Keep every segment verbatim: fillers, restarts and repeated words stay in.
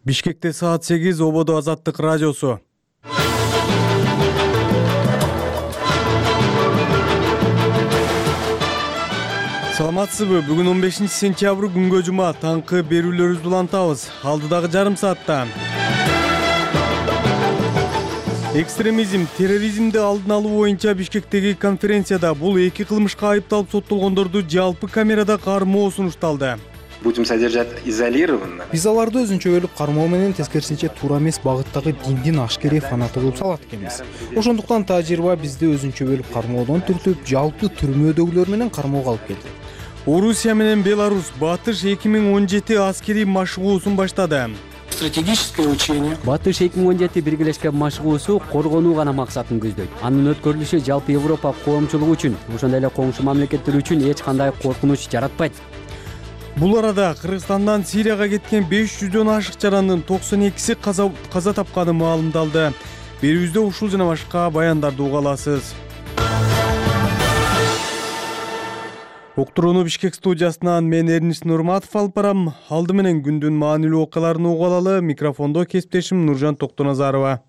Бишкекте саат сегиз, Ободо Азаттык радиосу. Саламатсызбы? Бүгүн он бешинчи сентябрь күнгө жума, таңкы берүүлөрүбүздү улантабыз. Алдыдагы жарым саатта экстремизм, терроризмди алдын алуу боюнча Бишкектеги конференцияда бул эки кылмышка айыпталып соттолгондорду жалпы камерада кармоо сунушталды. Будем содержать изолированно. Биз аларды өзүнчөлүк кармоо менен, тескерисинче туура эмес багыттагы диндин ашкерей фанаты кылып салат экенбиз. Ошондуктан тажрыйба бизди өзүнчө бөлүп кармоодон түртүп, жалпы түрмөдөгүлөр менен кармоого алып келди. Орусия менен Беларусь Батыш эки миң он жети аскерий машыгуусун баштады. Стратегическое учение. Батыш эки миң он жети биргелешкен машыгуусу коргонуу гана максатын көздөйт. Анын өткөрүлүшү жалпы Европа коомчулугу үчүн, ошондой эле коңшу мамлекеттер үчүн эч кандай коркунуч жаратпайт. Бул арада Кыргызстандан Сирияга кеткен беш жүздөн ашык жарандын токсон экиси каза, каза тапканы маалымдалды. Берүүбүздө ушул жана башка баяндарды уга аласыз. Уктурууну Бишкек студиясынан мен Эрнис Нурматов алып барам. Алды менен күндүн маанилүү окуяларын угуп алалы. Микрофондо кесиптешим Нуржан Токтоназарова.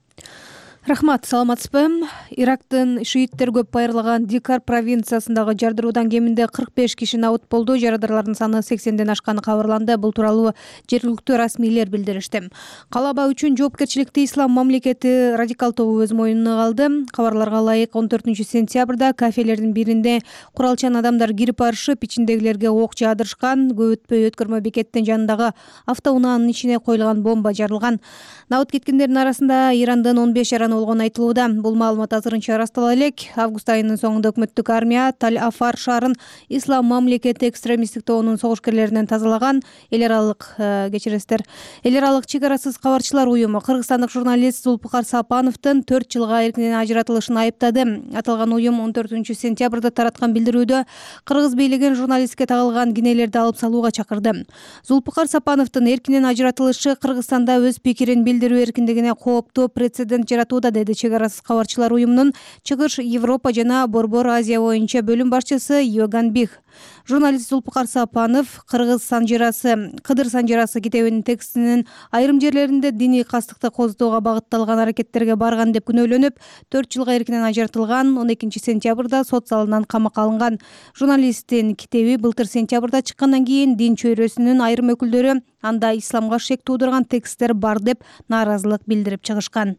Рахмат, саламатсызбы? Ирактын шииттер көп байырлаган Дикар провинциясындагы жардыруудан кеминде кырк беш киши набыт болду. Жарадарлардын саны сексенден ашканы кабарланды. Бул тууралуу жергиликтүү расмийлер билдиришти. Калаба үчүн жоопкерчиликти Ислам мамлекети радикал тобу өз мойнуна алды. Кабарларга ылайык он төртүнчү сентябрда кафелердин биринде куралчан адамдар кирип барышып, ичиндегилерге ок жаадырышкан. Көп өтпөй өткөрмө бекеттин жанындагы автоунаанын ичине коюлган бомба жарылган. Набыт кеткендердин арасында Ирандын он беш жараны болгон айтылууда. Бул маалымат азырынча ырастала элек. Август айынын соңунда өкмөттүк армия Таль-Афар шаарын Ислам мамлекети экстремисттик тобунун согушкерлеринен тазалаган. Эл аралык кечиресиздер. Эл аралык чек арасыз кабарчылар уюму кыргызстандык журналист Зулпукар Сапановдун төрт жылга эркинен ажыратылышын айыптады. Аталган уюм он төртүнчү сентябрда тараткан билдирүүдө кыргыз бийлигин журналистке тагылган кинелерди алып салууга чакырды. Зулпукар Сапановдун эркинен ажыратылышы Кыргызстанда өз пикирин билдирүү эркиндигине кооптуу прецедент жаратууда, деди чек арасыз кабарчылар уюмунун Чыгыш Европа жана Борбор Азия боюнча бөлүм башчысы Йоган Бих. Журналист Зулпукар Сапанов Кыргыз санжирасы, Кыдыр санжирасы китебинин текстинин айрым жерлеринде диний кастыкты козутууга багытталган аракеттерге барган деп күнөөлөнүп, төрт жылга эркинен ажыратылган. он экинчи сентябрда сот залынан камакка алынган. Журналисттин китеби былтыр сентябрда чыккандан кийин дин чөйрөсүнүн айрым өкүлдөрү анда исламга шек туудурган тексттер бар деп нааразылык билдирип чыгышкан.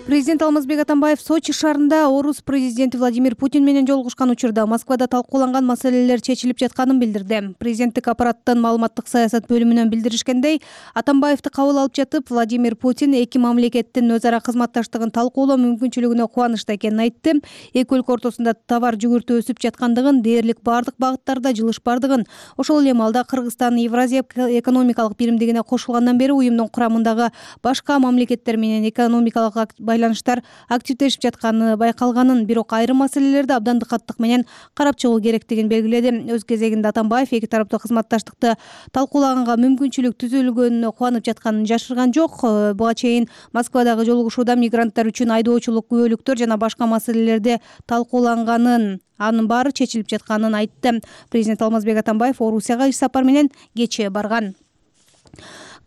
Президент Алмазбек Атамбаев Сочи шаарында орус президенти Владимир Путин менен жолугушкан учурда Москвада талкууланган маселелер чечилип жатканын билдирди. Президенттик аппараттын маалыматтык саясат бөлүмүнөн билдиришкендей, Атамбаевди кабыл алып жатып, Владимир Путин эки мамлекеттин өз ара кызматташтыгын талкуулоо мүмкүнчүлүгүнө кубанычта экенин айтты. Эки өлкө ортосунда товар жүгүртүү өсүп жаткандыгын, дээрлик бардык багыттарда жылыш бардыгын, ошол эле маалда Кыргызстан Евразия экономикалык биримдигине кошулгандан бери уюмдун курамындагы башка мамлекеттер менен экономикалык байланыштар активдешип жатканы байкалганын, бирок айрым маселелерди абдан дыкаттык менен карап чыгуу керектигин белгиледи. Өз кезегинде Атамбаев эки тараптуу кызматташтыкты талкуулаганга мүмкүнчүлүк түзүлгөнүнө кубанып жатканын жашырган жок. Буга чейин Москвадагы жолугушууда мигранттар үчүн айдоочулук, күбөлүктөр жана башка маселелерди талкууланганын, анын баары чечилип жатканын айтты. Президент Алмазбек Атамбаев Орусияга иш сапар менен кечээ барган.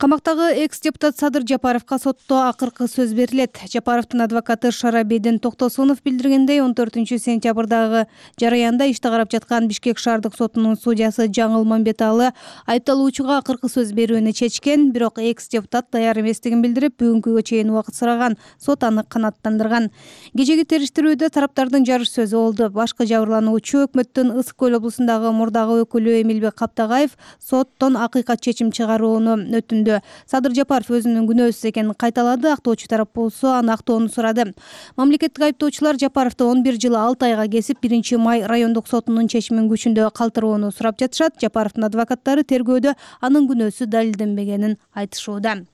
Камактагы экс-депутат Садыр Жапаровго сотто акыркы сөз берилет. Жапаровдун адвокаты Шарабейдин Токтосунов билдиргендей, он төртүнчү сентябрдагы жараянда ишти карап жаткан Бишкек шаардык сотунун судьясы Жаңыл Мамбеталы айыпталуучуга акыркы сөз берүүнү чечкен, бирок экс-депутат даяр эместигин билдирип, бүгүнкүгө чейин убакыт сураган. Сот аны канааттандырган. Кечеги териштирүүдө тараптардын жарыш сөзү болду. Башкы жабырлануучу өкмөттүн Ысык көл облусундагы мурдагы өкүлү Эмилбек Каптагаев соттон акыйкат чечим чыгарууну өтүндү. Садыр Жапаров өзүнүн күнөөсүз экенин кайталады. Актоочу тарап болсо аны актоону сурады. Мамлекеттик айыптоочулар Жапаровду он бир жыл алты айга кесип, биринчи май райондук сотунун чечимин күчүндө калтырууну сурап жатышат. Жапаровдун адвокаттары тергөөдө анын күнөөсү далилденбегенин айтышууда.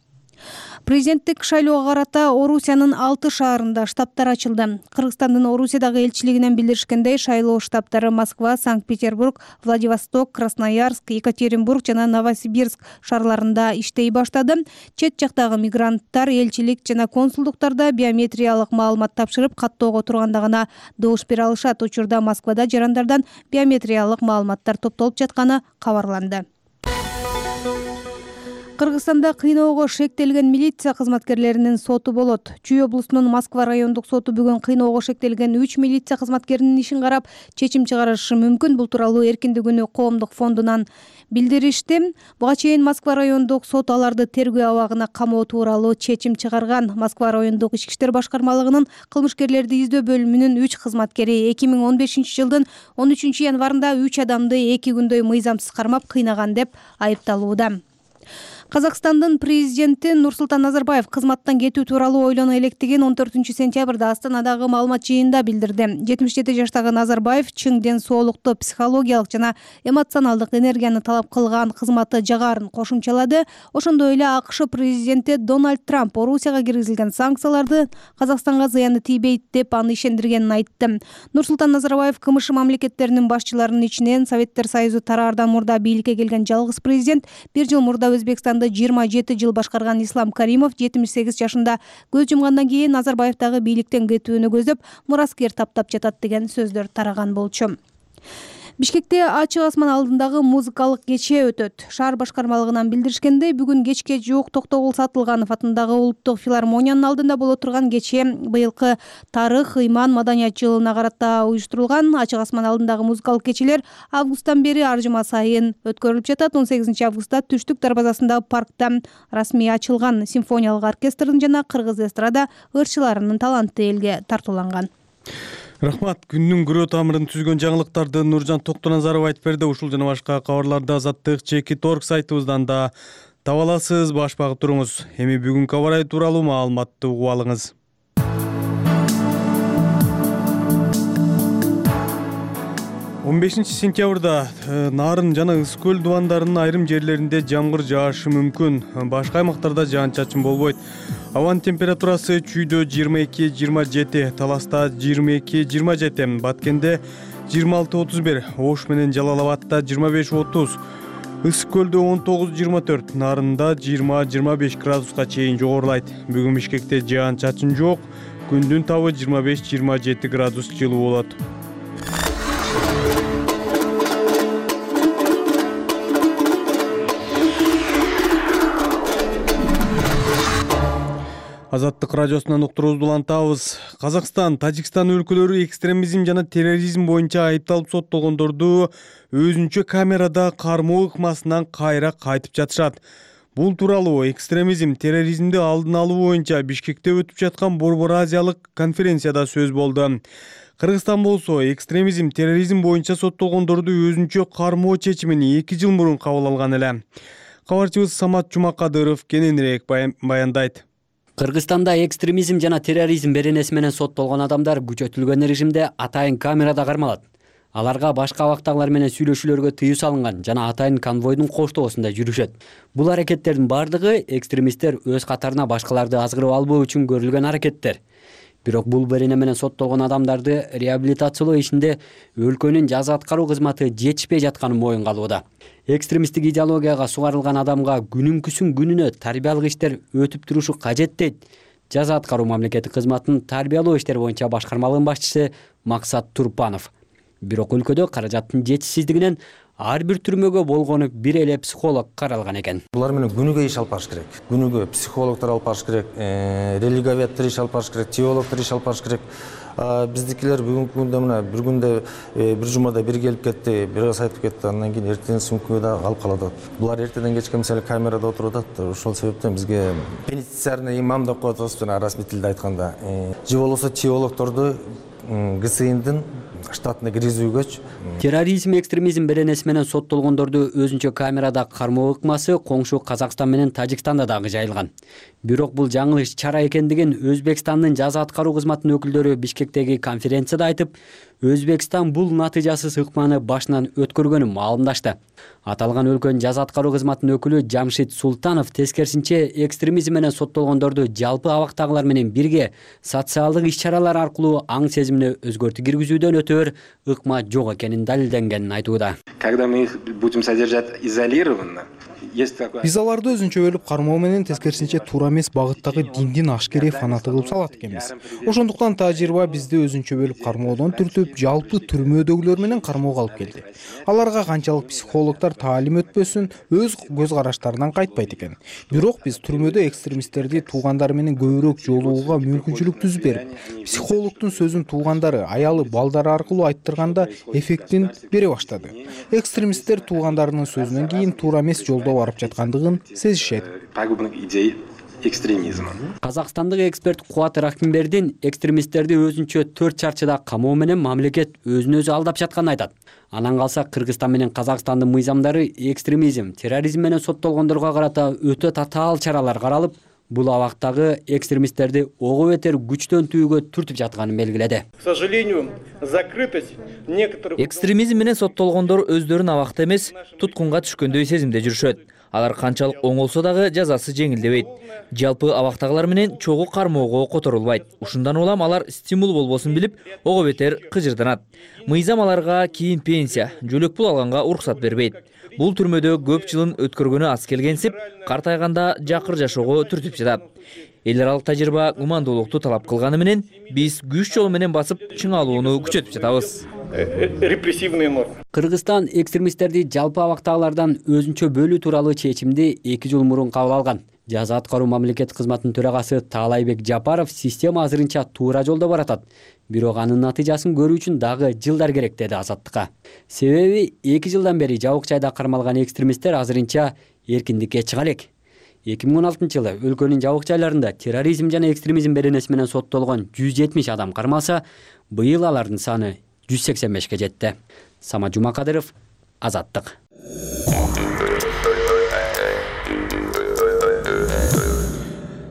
Президенттик шайлоого карата Орусиянын алты шаарында штабтар ачылды. Кыргызстандын Орусиядагы элчилигинен билдиришкендей, шайлоо штабтары Москва, Санкт-Петербург, Владивосток, Красноярск, Екатеринбург жана Новосибирск шаарларында иштей баштады. Чет жактагы мигранттар элчилик жана консулдуктарда биометриялык маалымат тапшырып, каттоого турганда гана добуш бере алышат. Учурда Москвада жарандардан биометриялык маалыматтар топтолуп жатканы кабарланды. Кыргызстанда кыйноого шектелген милиция кызматкерлеринин соту болот. Чүй облусунун Москва райондук соту бүгүн кыйноого шектелген үч милиция кызматкеринин ишин карап чечим чыгарышы мүмкүн. Бул тууралуу Эркиндик күнү коомдук фондунан билдиришти. Буга чейин Москва райондук сот аларды тергөө абагына камоо тууралуу чечим чыгарган. Москва райондук ички иштер башкармалыгынын кылмышкерлерди издөө бөлүмүнүн үч кызматкери эки миң он бешинчи жылдын он үчүнчү январында үч адамды эки күндөй мыйзамсыз кармап кыйнаган деп айыпталууда. Казакстандын президенти Нурсултан Назарбаев кызматтан кетүү тууралуу ойлоно электигин он төртүнчү сентябрда Астанадагы маалымат жыйынында билдирди. жетимиш жети жаштагы Назарбаев чың ден соолукту, психологиялык жана эмоционалдык энергияны талап кылган кызматы жагарын кошумчалады. Ошондой эле АКШ президенти Дональд Трамп Орусияга киргизилген санкцияларды Казакстанга зыяны тийбейт деп аны ишендиргенин айтты. Нурсултан Назарбаев КМШ мамлекеттеринин башчыларынын ичинен Советтер Союзу тараардан мурда бийликке келген жалгыз президент. Бир жыл мурда Өзбекстан жыйырма жети жыл башкарган Ислам Каримов жетимиш сегиз жашында көз жумгандан кийин Назарбаевдагы бийликтен кетүүнү көздөп мураскер таптап жатат деген сөздөр тараган болчу. Бишкекте ачык асман алдындагы музыкалык кече өтөт. Шаар башкармалыгынан билдиришкендей, бүгүн кечке жуук Токтогул Сатылганов атындагы Улуттук филармониянын алдында боло турган кече быйылкы тарых, ыйман, маданият жылына карата уюштурулган. Ачык асман алдындагы музыкалык кечелер августтан бери ар жума сайын өткөрүлүп жатат. он сегизинчи августта Түштүк дарбазасындагы паркта расмий ачылган. Симфониялык оркестрдин жана кыргыз эстрада ырчыларынын таланты элге тартууланган. Рахмат. Күндүн күрөө тамырын түзгөн жаңылыктарды Нуржан Токтоназаров айтып берди. Ушул жана башка кабарларды Азаттык чекит точка орг сайтыбыздан да таба аласыз. Баш багып туруңуз. Эми бүгүнкү аба ырайы тууралуу маалыматты угуп алыңыз. он бешинчи сентябрда Нарын жана Ыс көл дубандарынын айрым жерлеринде жамгыр жаашы мүмкүн. Башка аймактарда жаан-чачын болбойт. Абанын температурасы Чүйдө жыйырма эки жыйырма жети, Таласта жыйырма эки жыйырма жети, Баткенде жыйырма алты отуз бир, Ош менен Жалал Абадта жыйырма беш отуз, Ыс көлдө он тогуз жыйырма төрт, Нарында жыйырма жыйырма беш градуска чейин жогорулайт. Бүгүн Бишкекте жаан-чачын жок. Күндүн табы жыйырма беш жыйырма жети градус жылуу болот. Азаттык радиосунан уктуруубузду улантабыз. Казакстан, Тажикстан өлкөлөрү экстремизм жана терроризм боюнча айыпталып соттолгондорду өзүнчө камерада кармоо ыкмасынан кайра кайтып жатышат. Бул тууралуу экстремизм, терроризмди алдын алуу боюнча Бишкекте өтүп жаткан Борбор Азиялык конференцияда сөз болду. Кыргызстан болсо экстремизм, терроризм боюнча соттолгондорду өзүнчө кармоо чечимин эки жыл мурун кабыл алган эле. Кабарчыбыз Самат Жумакадыров кененирээк баяндайт. Кыргызстанда экстремизм жана терроризм беренеси менен соттолгон адамдар күчөтүлгөн режимде атайын камерада кармалат. Аларга башка абактагылар менен сүйлөшүүлөргө тыюу салынган жана атайын конвойдун коштоосунда жүрүшөт. Бул аракеттердин бардыгы экстремисттер өз катарына башкаларды азгырып албоо үчүн көрүлгөн аракеттер. Бирок бул берене менен соттолгон адамдарды реабилитациялоо ишинде өлкөнүн жаза аткаруу кызматы жетишпей жатканын моюнга алууда. Экстремисттик идеологияга сугарылган адамга күнүнкүсүн күнүнө тарбиялык иштер өтүп турушу кажет дейт жаза аткаруу мамлекеттик кызматынын тарбиялоо иштери боюнча башкармалыгынын башчысы Максат Турпанов. Бирок өлкөдө каражаттын жетишсиздигинен ар бир түрмөгө болгону бир эле психолог каралган экен. Булар менен күнүгө иш алып барыш керек. Күнүгө психологдор алып барыш керек, религоведтер иш алып барыш керек, теологдор иш алып барыш керек. Биздикилер бүгүнкү күндө мына бир күндө бир жумада бир келип кетти, бир аз айтып кетти, андан кийин эртең сүмкүгө да алып калат. Булар эртеден кечке мисалы камерада отуруп атат. Ошол себептен бизге пенитенциарный имам деп коет жана расмий тилде айтканда, же болбосо теологдорду ГСИндин штатына киргизүүгөчү. Терроризм, экстремизм беренеси менен соттолгондорду өзүнчө камерада кармоо ыкмасы коңшу Казакстан менен Тажикстанда дагы жайылган. Бирок бул жаңылыш чара экендигин Өзбекстандын жаза аткаруу кызматынын өкүлдөрү Бишкектеги конференцияда айтып, Өзбекстан бул натыйжасыз ыкманы башынан өткөргөнүн маалымдашты. Аталган өлкөнүн жаза аткаруу кызматынын өкүлү Жамшит Султанов тескерисинче экстремизм менен соттолгондорду жалпы абактагылар менен бирге социалдык иш-чаралар аркылуу аң сезимине өзгөртүү киргизүүдөн өтөөр ыкма жок экенин далилденгенин айтууда. Когда мы их будем содержать изолированно есть такое. Биз аларды өзүнчө бөлүп кармоо менен тескерисинче туура эмес багыттагы диндин ашкерей фанаты кылып салат экенбиз. Ошондуктан тажрыйба бизди өзүнчө бөлүп кармоодон түртүп, жалпы түрмөдөгүлөр менен кармоого алып келди. Аларга канчалык психологдор таалим өтпөсүн, өз көз караштарынан кайтпайт экен. Бирок биз түрмөдө экстремисттерди туугандары менен көбүрөөк жолугууга мүмкүнчүлүк түзүп берип, психологдун сөзүн туугандары, аялы, балдары аркылуу айттырганда эффектин бере баштады. Экстремисттер туугандарынын сөзүнөн кийин туура эмес жолдо барып жаткандыгын сезишет. Пагубных идей экстремизма. Казакстандык эксперт Кубат Рахимбердин экстремисттерди өзүнчө төрт чарчыда камоо менен мамлекет өзүн өзү алдап жатканын айтат. Анан калса Кыргызстан менен Казакстандын мыйзамдары экстремизм, терроризм менен соттолгондорго карата өтө татаал чаралар каралып, бул абактагы экстремисттерди ого бетер күчтөнтүүгө түртүп жатканын белгиледи. К сожалению, закрытость некоторых экстремизм менен соттолгондор өздөрүн абакта эмес, туткунга түшкөндөй сезимде жүрүшөт. Алар канчалык оңолсо дагы жазасы жеңилдебейт. Жалпы абактагылар менен чогуу кармоого которулбайт. Ушундан улам алар стимул болбосун билип, ого бетер кыжырданат. Мыйзам аларга кийин пенсия, жөлөк пул алганга уруксат бербейт. Бул түрмөдө көп жылын өткөргөнү аз келгенсип, картайганда жакыр жашоого түртүп жатат. Эл аралык тажрыйба гумандуулукту талап кылганы менен биз күч жолу менен басып чыңалууну күчөтүп жатабыз. репрессивные нормы. Кыргызстан экстремисттерди жалпы абактагылардан өзүнчө бөлүү тууралуу чечимди эки жыл мурун кабыл алган. Жаза аткаруу мамлекет кызматынын төрагасы Таалайбек Жапаров система азырынча туура жолдо баратат. Бирок анын натыйжасын көрүү үчүн дагы жылдар керек деди Азаттыкка. Себеби эки жылдан бери жабык жайда кармалган экстремисттер азырынча эркиндикке чыга элек. эки миң он алтынчы жылы өлкөнүн жабык жайларында терроризм жана экстремизм беренеси менен соттолгон жүз жетимиш адам кармалса, быйыл алардын саны жүз сексен бешке жетти. Самат Жумакадыров, Азаттык.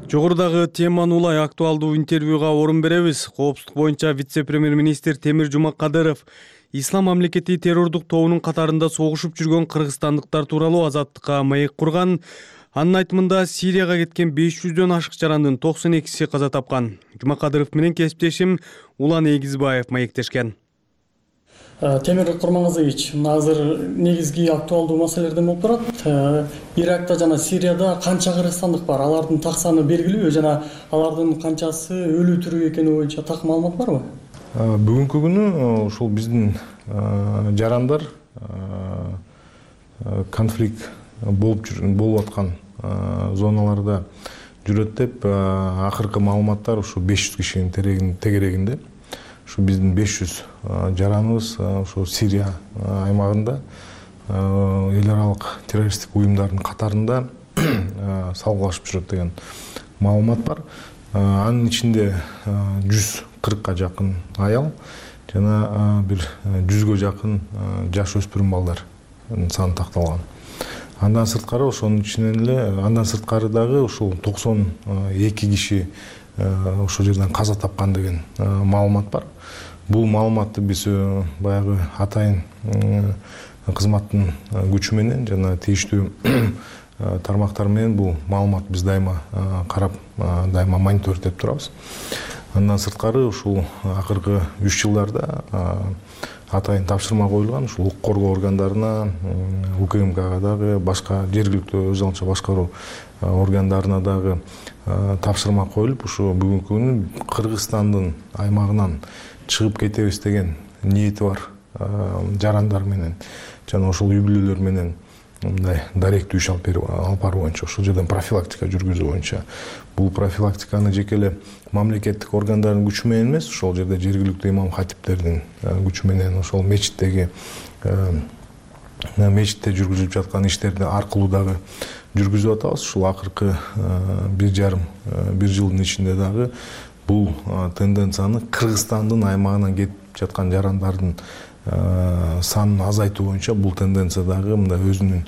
Жогорудагы теманы улай актуалдуу интервьюга орун беребиз. Коопсуздук боюнча вице-премьер-министр Темир Жумакадыров Ислам мамлекети террордук тобунун катарында согушуп жүргөн кыргызстандыктар тууралуу Азаттыкка маек курган. Анын айтымында Сирияга кеткен беш жүздөн ашык жарандын токсон экиси каза тапкан. Жумакадыров менен кесиптешим Улан Эгизбаев маектешкен. Темир Курманғазович, азыр негизги актуалдуу маселелерден болуп турат. Иракта жана Сирияда канча кыргызстандык бар? Алардын так саны белгилүү жана алардын канчасы өлүү тирүү экени боюнча так маалымат барбы? Бүгүнкү күнү ушул биздин жарандар конфликт болуп болуп аткан зоналарда жүрөт деп акыркы маалыматтар ушу беш жүз кишинин тегерегинде. Ушу биздин беш жүз жараныбыз ушу Сирия аймагында эл аралык террористтик уюмдардын катарында салгылашып жүрөт деген маалымат бар. Анын ичинде жүз кыркка жакын аял жана бир жүзгө жакын жаш өспүрүм балдар саны такталган. Андан сырткары ошонун ичинен эле андан сырткары дагы ушул токсон эки киши ошол жерден каза тапкан деген маалымат бар. Бул маалыматты биз баягы атайын кызматтын күчү менен жана тийиштүү тармактар менен бул маалымат биз дайыма карап, дайыма мониторингдеп турабыз. Андан сырткары ушул акыркы үч жылдарда атайын тапшырма коюлган, ушул укук коргоо органдарына, УКМКга дагы, башка жергиликтүү өз алынча башкаруу органдарына дагы тапшырма коюлуп, ушу бүгүнкү күнү Кыргызстандын аймагынан чыгып кетебиз деген ниети бар жарандар менен жана ошол үй бүлөлөр менен мындай даректүү иш алып баруу боюнча, ошол жерден профилактика жүргүзүү боюнча. Бул профилактиканы жеке эле мамлекеттик органдардын күчү менен эмес, ошол жерде жергиликтүү имам хатиптердин күчү менен, ошол мечиттеги мечитте жүргүзүлүп жаткан иштерди аркылуу дагы жүргүзүп атабыз. Ушул акыркы бир жарым бир жылдын ичинде дагы бул тенденцияны Кыргызстандын аймагынан кетип жаткан жарандардын санын азайтуу боюнча бул тенденция дагы мындай өзүнүн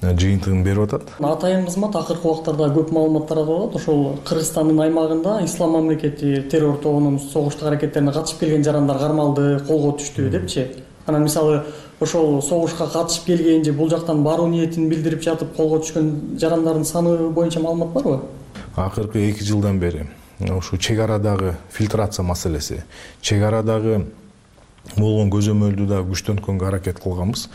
жыйынтыгын берип атат. Атайын кызмат акыркы убактарда көп маалымат таратып атат. Ошол Кыргызстандын аймагында Ислам мамлекети террор тобунун согуштук аракеттерине катышып келген жарандар кармалды, колго түштү депчи. Анан мисалы ошол согушка катышып келген же бул жактан баруу ниетин билдирип жатып колго түшкөн жарандардын саны боюнча маалымат барбы? Акыркы эки жылдан бери ушу чек арадагы фильтрация маселеси, чек арадагы болгон көзөмөлдү да күчтөнткөнгө аракет кылганбыз.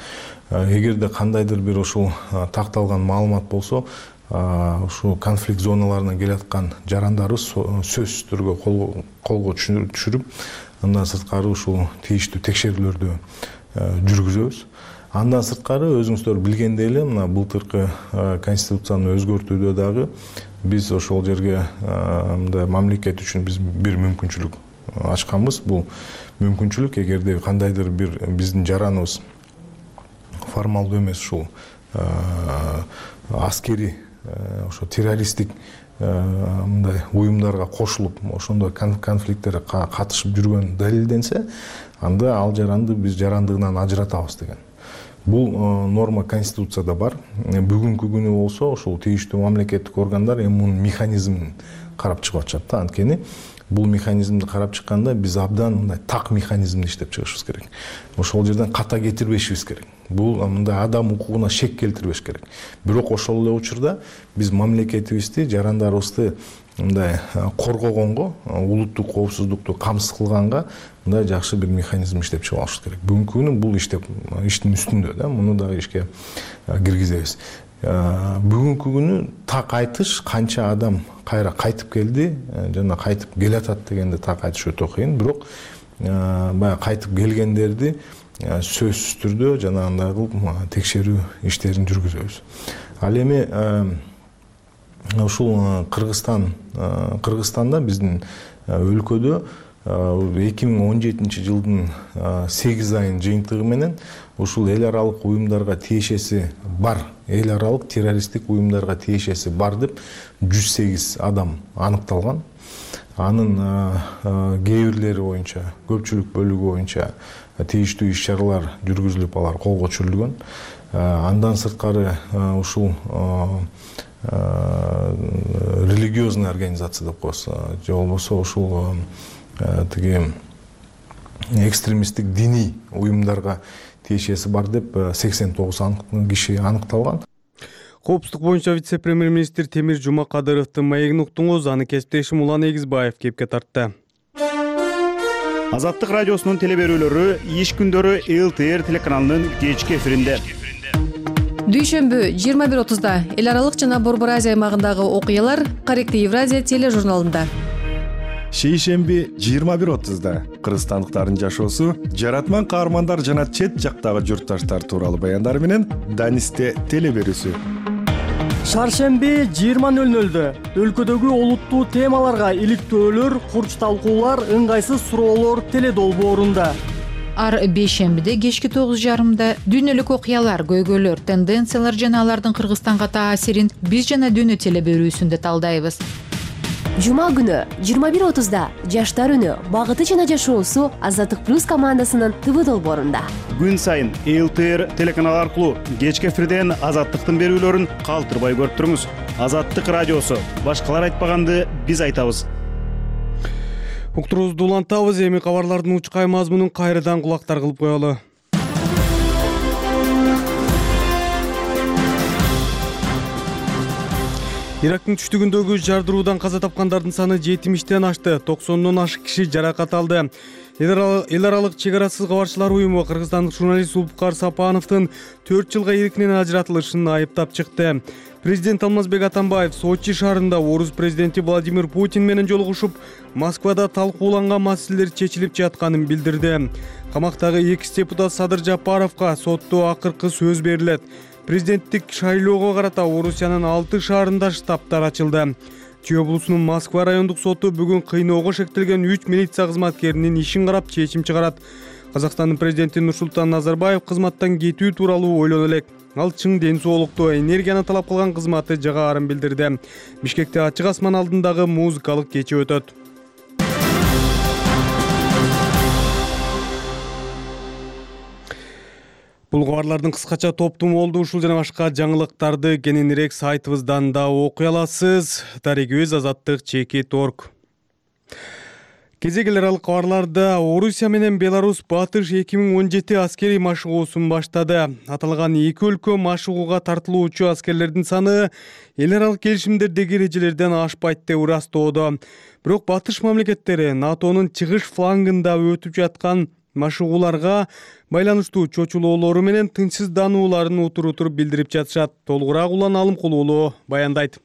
Эгерде кандайдыр бир ушул такталган маалымат болсо, ушул конфликт зоналарынан келаткан жарандарыбыз сөзсүз түрдө колго түшүрүп, андан сырткары ушул тийиштүү текшерүүлөрдү жүргүзөбүз. Андан сырткары өзүңүздөр билгендей эле, мына былтыркы конституцияны өзгөртүүдө дагы биз ошол жерге мындай мамлекет үчүн биз бир мүмкүнчүлүк ачканбыз. Бул мүмкүнчүлүк эгерде кандайдыр бир биздин жараныбыз формалдуу эмес ушул аскери ошо террористтик мындай уюмдарга кошулуп, ошондой конфликттерге катышып жүргөн далилденсе, анда ал жаранды биз жарандыгынан ажыратабыз деген. Бул норма конституцияда бар. Бүгүнкү күнү болсо ошол тийиштүү мамлекеттик органдар эми мунун механизмин карап чыгып атышат да. Анткени бул механизмди карап чыкканда биз абдан мындай так механизмди иштеп чыгышыбыз керек. Ошол жерден ката кетирбешибиз керек. Бул мындай адам укугуна шек келтирбеш керек. Бирок ошол эле учурда биз мамлекетибизди, жарандарыбызды мындай коргогонго, улуттук коопсуздукту камсыз кылганга мындай жакшы бир механизм иштеп чыгып алышыбыз керек. Бүгүнкү күнү бул иштеп иштин үстүндө да, муну дагы ишке киргизебиз. Бүгүнкү күнү так айтыш, канча адам кайра кайтып келди жана кайтып келатат дегенди так айтыш өтө кыйын. Бирок баягы кайтып келгендерди сөзсүз түрдө жана андай кылып текшерүү иштерин жүргүзөбүз. Ал эми ушул Кыргызстан Кыргызстанда биздин өлкөдө эки миң он жетинчи жылдын сегиз айынын жыйынтыгы менен ушул эл аралык уюмдарга тиешеси бар, эл аралык террористтик уюмдарга тиешеси бар деп жүз сегиз адам аныкталган. Анын кээ бирлери боюнча, көпчүлүк бөлүгү боюнча тийиштүү иш-чаралар жүргүзүлүп, алар колго түшүрүлгөн. Андан сырткары ушул религиозный организация деп коебуз, же болбосо ушул тиги экстремисттик диний уюмдарга тиешеси бар деп сексен тогуз киши аныкталган. Коопсуздук боюнча вице-премьер-министр Темир Жумакадыровдун маегин уктуңуз, аны кесиптешим Улан Эгизбаев кепке тартты. Азаттык радиосунун телеберүүлөрү иш күндөрү эл тэ эр телеканалынын кечки эфиринде. Дүйшөмбү жыйырма бир отузда эл аралык жана Борбор Азия аймагындагы окуялар Корректный Евразия тележурналында. Шейшемби жыйырма бир отузда кыргызстандыктардын жашоосу, жаратман каармандар жана чет жактагы журтташтар тууралуу баяндар менен Данисте телеберүүсү. Шаршемби жыйырма нөл нөлдө өлкөдөгү олуттуу темаларга иликтөөлөр, курч талкуулар, ыңгайсыз суроолор теледолбоорунда. Ар бейшембиде кечки тогуз жарымда дүйнөлүк окуялар, көйгөйлөр, тенденциялар жана алардын Кыргызстанга таасирин биз жана дүйнө телеберүүсүндө талдайбыз. Жума күнү жыйырма бир отузда Жаштар үнү, багыты жана жашоосу Азаттык плюс командасынын тэ вэ долбоорунда. Күн сайын эл тэ эр телеканалы аркылуу кечки эфирден Азаттыктын берүүлөрүн калтырбай көрүп туруңуз. Азаттык радиосу, башкалар айтпаганды биз айтабыз. Уктуруубузду улантабыз, эми кабарлардын учкай мазмунун кайрадан кулактар кылып коелу. Ирактын түштүгүндөгү жардыруудан каза тапкандардын саны жетимиштен ашты, токсондон ашык киши жаракат алды. Эл аралык чек арасыз кабарчылар уюму кыргызстандык журналист Зулпукар Сапановдун төрт жылга иркинен ажыратылышын айыптап чыкты. Президент Алмазбек Атамбаев Сочи шаарында орус президенти Владимир Путин менен жолугушуп, Москвада талкууланган маселелер чечилип жатканын билдирди. Камактагы экс депутат Садыр Жапаровго сотто акыркы сөз берилет. Президенттик шайлоого карата Орусиянын алты шаарында штабтар ачылды. Чүй облусунун Москва райондук соту бүгүн кыйноого шектелген үч милиция кызматкеринин ишин карап чечим чыгарат. Казакстандын президенти Нурсултан Назарбаев кызматтан кетүү тууралуу ойлоно элек. Ал чың ден соолукту, энергияны талап кылган кызматы жагаарын билдирди. Бишкекте ачык асман алдындагы музыкалык кече өтөт. Бул кабарлардын кыскача топтуму болду. Ушул жана башка жаңылыктарды кененирээк сайтыбыздан да окуй аласыз. Дарегибиз азаттык чекит точка орг. Кезек эл аралык кабарларда Орусия менен Беларусь Батыш эки миң он жети аскерий машыгуусун баштады. Аталган эки өлкө машыгууга тартылуучу аскерлердин саны эл аралык келишимдердеги эрежелерден ашпайт деп ырастоодо. Бирок Батыш мамлекеттери НАТОнун чыгыш флангында өтүп жаткан машыгууларга байланыштуу чочулоолору менен тынчсызданууларын утур утур билдирип жатышат. Толугураак Улан Алымкулуулу баяндайт.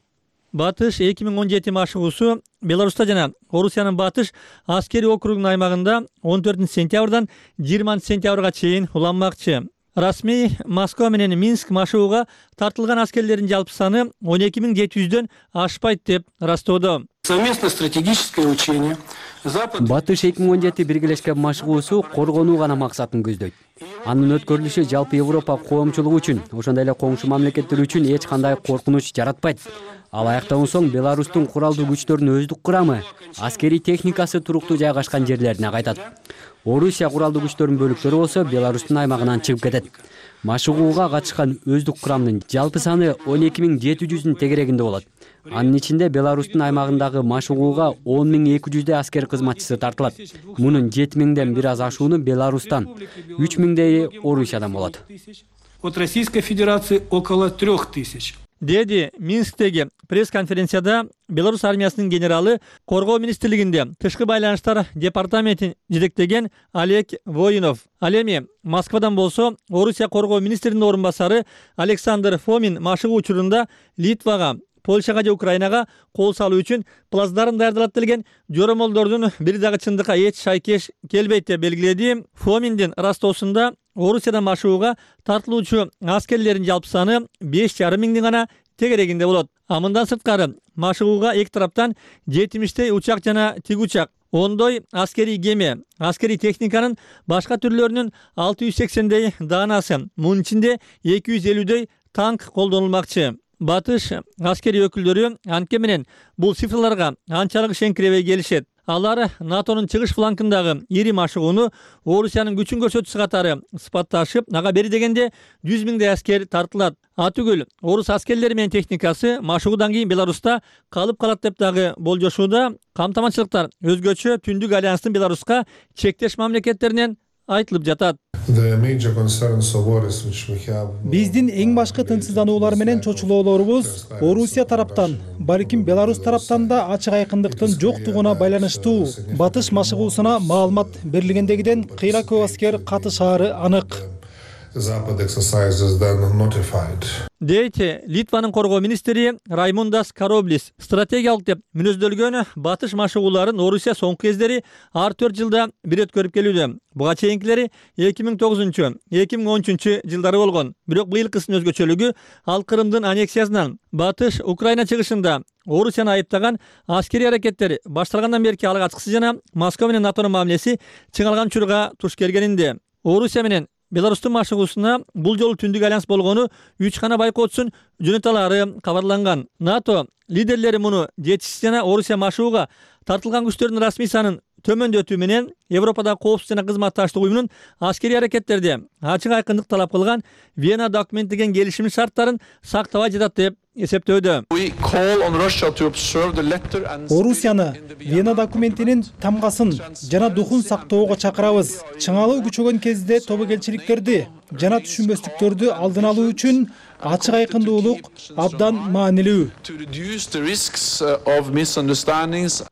Батыш эки миң он жети машыгуусу Беларуста жана Орусиянын Батыш аскери округунун аймагында он төртүнчү сентябрдан жыйырманчы сентябрга чейин уланмакчы. Расмий Москва менен Минск машыгууга тартылган аскерлердин жалпы саны он эки миң жети жүздөн ашпайт деп ырастоодо. Совместное стратегическое учение. Батыш эки миң он жети биргелешкен машыгуусу коргонуу гана максатын көздөйт. Анын өткөрүлүшү жалпы Европа коомчулугу үчүн, ошондой эле коңшу мамлекеттер үчүн эч кандай коркунуч жаратпайт. Ал аяктаган соң Беларустун куралдуу күчтөрүнүн өздүк курамы, аскерий техникасы туруктуу жайгашкан жерлерине кайтат. Орусия куралдуу күчтөрүнүн бөлүктөрү болсо Беларустун аймагынан чыгып кетет. Машыгууга катышкан өздүк курамдын жалпы саны он эки миң жети жүздүн тегерегинде болот. Анын ичинде Беларустун аймагындагы машыгууга он миң эки жүздөй аскер кызматчысы тартылат. Мунун жети миңден бир аз ашууну Беларустан, үч миңдейи Орусиядан болот. От Российской Федерации около трех тысяч. Деди Минсктеги пресс-конференцияда Беларусь армиясынын генералы Коргоо министрлигинде тышкы байланыштар департаментин жетектеген Олег Воинов. Ал эми Москвадан болсо Орусия коргоо министринин орун басары Александр Фомин машыгуу учурунда Литвага, Польшага же Украинага кол салуу үчүн плацдарм даярдалат делген жоромолдордун бир дагы чындыкка эч шайкеш келбейт деп белгиледи. Фоминдин ырастоосунда Орусиядан машыгууга тартылуучу аскерлердин жалпы саны беш жарым миңдин гана тегерегинде болот. А мындан сырткары машыгууга эки тараптан жетимиштей учак жана тиг учак, ондой аскерий кеме, аскерий техниканын башка түрлөрүнүн алты жүз сексендей даанасы, мунун ичинде эки жүз элүүдөй танк колдонулмакчы. Батыш аскерий өкүлдөрү анткени менен бул цифрларга анчалык ишенкиребей келишет. Алар НАТОнун чыгыш флангындагы ири машыгууну Орусиянын күчүн көрсөтүүсү катары сыпатташып, ага бери дегенде жүз миңдей аскер тартылат. Атүгүл орус аскерлери менен техникасы машыгуудан кийин Беларуста калып калат деп дагы болжошууда. Камтаманчылыктар өзгөчө Түндүк альянстын Беларуска чектеш мамлекеттеринен айтылып жатат. Биздин эң башкы тынчсыздануулар менен чочулоолорубуз Орусия тараптан, балким Беларусь тараптан да ачык айкындыктын жоктугуна байланыштуу. Батыш машыгуусуна маалымат берилгендегиден кыйла көп аскер катышаары анык. Дейт Литванын коргоо министри Раймундас Кароблис. Стратегиялык деп мүнөздөлгөн Батыш машыгууларын Орусия соңку кездери ар төрт жылда бир өткөрүп келүүдө. Буга чейинкилери эки миң тогузунчу эки миң он үчүнчү жылдары болгон. Бирок быйылкысынын өзгөчөлүгү ал Крымдын аннексиясынан Батыш Украина чыгышында Орусияны айыптаган аскерий аракеттери башталгандан берки алга ачкысы жана Москва менен НАТОнун мамилеси чыңалган учурга туш келгенинде. Орусия менен Беларустун машыгуусуна бул жолу Түндүк альянс болгону үч гана байкоотсун жөнөталары кабарланган. НАТО лидерлери муну жетишсиз жана Орусия машыгууга тартылган күчтөрдүн расмий санын төмөндөтүү менен Европадагы коопсуздук жана кызматташтык уюмунун аскерий аракеттерде ачык айкындык талап кылган Вена документ деген келишимдин шарттарын сактабай жатат деп эсептөөдө. Орусияны Вена документинин тамгасын жана духун сактоого чакырабыз. Чыңалуу күчөгөн кезде тобокелчиликтерди жана түшүнбөстүктөрдү алдын алуу үчүн ачык айкындуулук абдан маанилүү.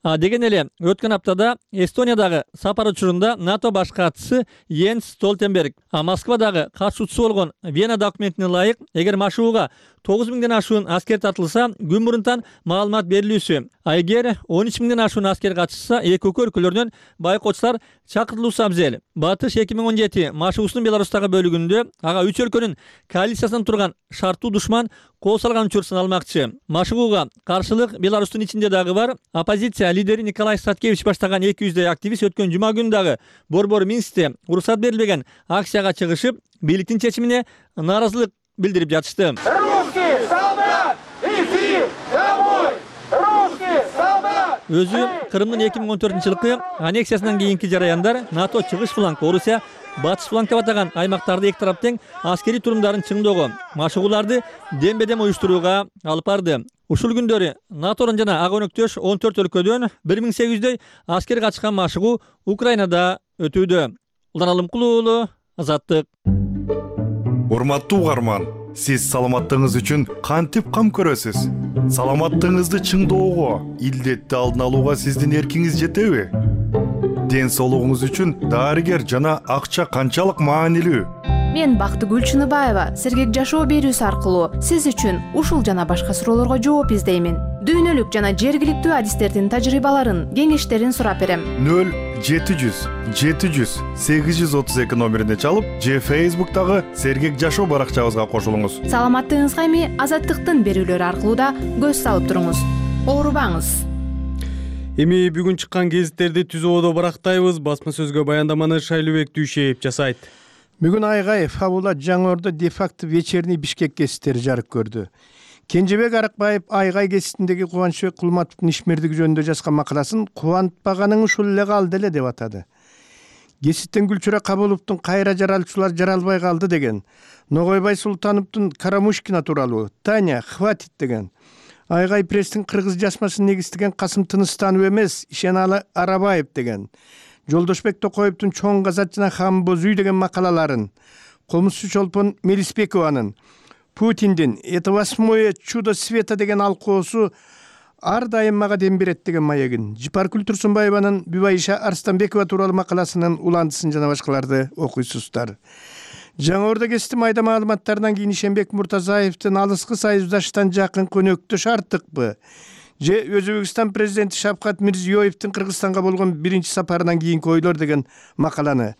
А деген эле өткөн аптада Эстониядагы сапар учурунда НАТО баш катчысы Йенс Столтенберг, а Москвадагы катышуучусу болгон Вена документине ылайык, эгер машыгууга тогуз миңден ашуун аскер тартылса, күн мурунтан маалымат берилүүсү. А эгер он үч миңден ашуун аскер катышса, эки өлкөлөрдөн байкоочулар чакыртылуусу абзел. Батыш эки миң он жети машыгуусунун Беларустагы бөлүгүндө ага үч өлкөнүн коалициясынан турган шарттуу душман кол салган үчүр сыналмакчы. Машыгууга каршылык Беларустун ичинде дагы бар. Оппозиция лидери Николай Статкевич баштаган эки жүздөй активист өткөн жума күнү дагы борбор Минскте уруксат берилбеген акцияга чыгышып, бийликтин чечимине нааразылык билдирип жатышты. Өзү Крымдын эки миң он төртүнчү жылкы аннексиясынан кийинки жараяндар НАТО чыгыш фланг, Орусия батыш фланг деп атаган аймактарды эки тарап тең аскерий турумдарын чыңдоого, машыгууларды дембедем уюштурууга алып барды. Ушул күндөрү НАТОдон жана ага өнөктөш он төрт өлкөдөн бир миң сегиз жүздөй аскер катышкан машыгуу Украинада өтүүдө. Улан Алымкулуулу, Азаттык. Урматтуу угарман, сиз саламаттыгыңыз үчүн кантип кам көрөсүз? Саламаттыгыңызды чыңдоого, илдетти алдын алууга сиздин эркиңиз жетеби? ден соолугуңуз үчүн дарыгер жана акча канчалык маанилүү? Мен Бактыгүл Чыныбаева сергек жашоо берүүсү аркылуу сиз үчүн ушул жана башка суроолорго жооп издеймин. Дүйнөлүк жана жергиликтүү адистердин тажрыйбаларын, кеңештерин сурап берем. нөл жети жүз жети жүз сегиз жүз отуз эки номерине чалып, же Facebook'тагы сергек жашоо баракчабызга кошулуңуз. Саламаттыгыңызга эми Азаттыктын берүүлөрү аркылуу да көз салып туруңуз. Оорубаңыз. Эми бүгүн чыккан гезиттерди түз ободо барактайбыз. Басма сөзгө баяндаманы Шайлыбек Дүйшеев жасайт. Бүгүн Айгай Фабула Жаңы Ордо де-факто вечерний Бишкек гезиттери жарык көрдү. Кенжебек Арыкбаев Айгай гезитиндеги Кубанычбек Кулматовдун ишмердиги жөнүндө жазган макаласын кубантпаганың ушул эле калды эле деп атады. Гезиттен Гүлчүрө Кабыловдун кайра жаралчулар жаралбай калды деген, Ногойбай Султановдун Карамушкина тууралуу, Таня хватит деген, Айгай пресстин кыргыз жазмасын негиздеген Касым Тыныстанов эмес, Ишеналы Арабаев деген, Жолдошбек Токоевдун Чоң Казат жана Хан Бозүй деген макалаларын, Комузчу Чолпон Мелисбекованын Путиндин «Это восьмое чудо света» деген алкоосу ар дайым мага дем берет деген маегин, Жипаркүл Турсунбаеванын Бүбайша Арстанбекова тууралуу макаласынын уландысын жана башкаларды окуйсуздар. Жаңы Ордо гезити майда маалыматтарынан кийин Ишенбек Муртазаевдин алыскы союздаштан жакын көнөктөш артыкпы? Же Өзбекстан президенти Шавкат Мирзиёевдин Кыргызстанга болгон биринчи сапарынан кийинки ойлор деген макаланы,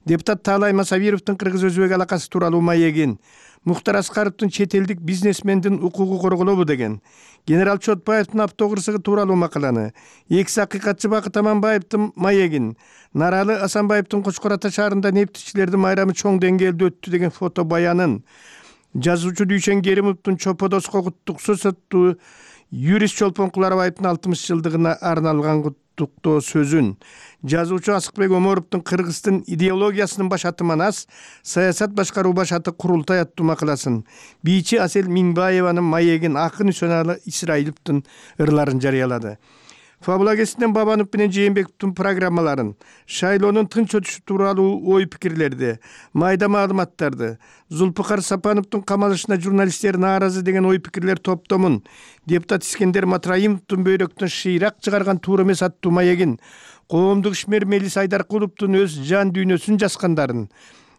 депутат Таалай Масавировдун кыргыз-өзбек алакасы тууралуу маегин, Мухтар Аскаровдун чет элдик бизнесмендин укугу корголобу деген, генерал Чотбаевдин автокырсыгы тууралуу макаланы, экс акыйкатчы Бакыт Аманбаевдин маегин, Наралы Асанбаевдин Кочкор Ата шаарында нефтичилердин майрамы чоң деңгээлде өттү деген фото баянын, жазуучу Дүйшен Керимовдун Чоподос кокуттук сөз аттуу юрист Чолпон Куларбаевдин алтымыш жылдыгына арналган куттуктоо сөзүн, жазуучу Асыкбек Оморовдун Кыргыздын идеологиясынын башаты Манас, саясат башкаруу башаты Курултай аттуу макаласын, бийчи Асел Минбаеванын маегин, акын Үсөналы Исраиловдун ырларын жарыялады. Фабула гезитинен Бабанов менен Жээнбековдун программаларын, шайлоонун тынч өтүшү тууралуу ой пикирлерди, майда маалыматтарды, Зулпукар Сапановдун камалышына журналисттер нааразы деген ой пикирлер топтомун, депутат Искендер Матраимовдун бөйрөктөн шыйрак чыгарган туура эмес аттуу маегин, коомдук ишмер Мелис Айдаркуловдун өз жан дүйнөсүн жазгандарын,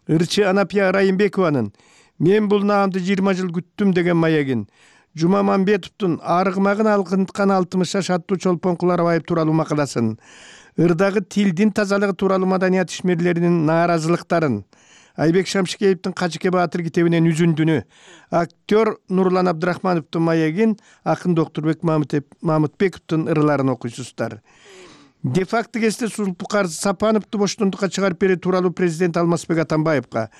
ырчы Анапия Райымбекованын «Мен бул наамды жыйырма жыл күттүм» деген маегин, Жумамамбетовдун арыгмагын алкынткан алтымыш жаш аттуу Чолпон Куларбаев тууралуу макаласын, ырдагы тилдин тазалыгы тууралуу маданият ишмерлеринин нааразылыктарын, Айбек Шамшикеевдин Качыке Баатыр китебинен үзүндүнү, актер Нурлан Абдрахмановдун маегин, акын Доктурбек Мамытбековдун ырларын окуйсуздар. Де-факто гезитте Зулпукар Сапановду боштондукка чыгарып берүү тууралуу президент Алмазбек Атамбаевга,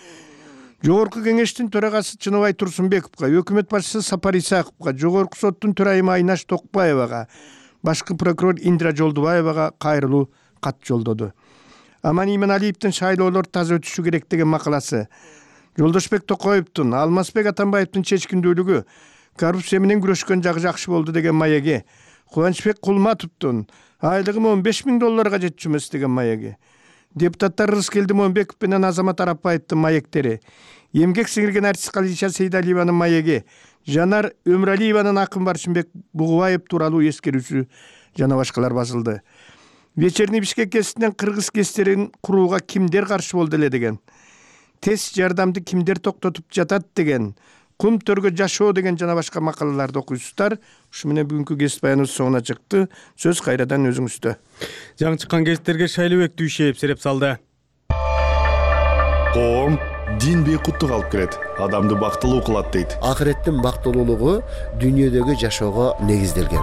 Жогорку кеңештин төрагасы Чыныбай Турсунбековго, өкмөт башчысы Сапар Исаковго, Жогорку соттун төрайымы Айнаш Токпаевага, башкы прокурор Индира Жолдубаевага кайрылуу кат жолдоду. Аман Иманалиевдин шайлоолор таза өтүшү керек деген макаласы, Жолдошбек Токоевдун, Алмазбек Атамбаевдин чечкиндүүлүгү, коррупция менен күрөшкөн жагы жакшы болду деген маеги, Кубанычбек Кулматовдун айлыгым он беш миң долларга жетчү эмес деген маеги, депутаттар Рыскелди Момбеков менен Азамат Арапбаевдин маектери, эмгек сиңирген артист Калиша Сейдалиеванын маеги, Жанар Өмралиеванын акын Баршынбек Бугубаев тууралуу эскерүүсү жана башкалар басылды. Вечерний Бишкек гезитинен кыргыз гезиттерин курууга кимдер каршы болду эле деген, тез жардамды кимдер токтотуп жатат деген, кум төргө жашоо деген жана башка макалаларды окуйсуздар. Ушу менен бүгүнкү гезит баяныбыз соңуна чыкты. Сөз кайрадан өзүңүздө. Жаңы чыккан гезиттерге Шайлыбек Дүйшеев сереп салды. Коом дин бейкуттук алып келет, адамды бактылуу кылат дейт. Акыреттин бактылуулугу дүйнөдөгү жашоого негизделген.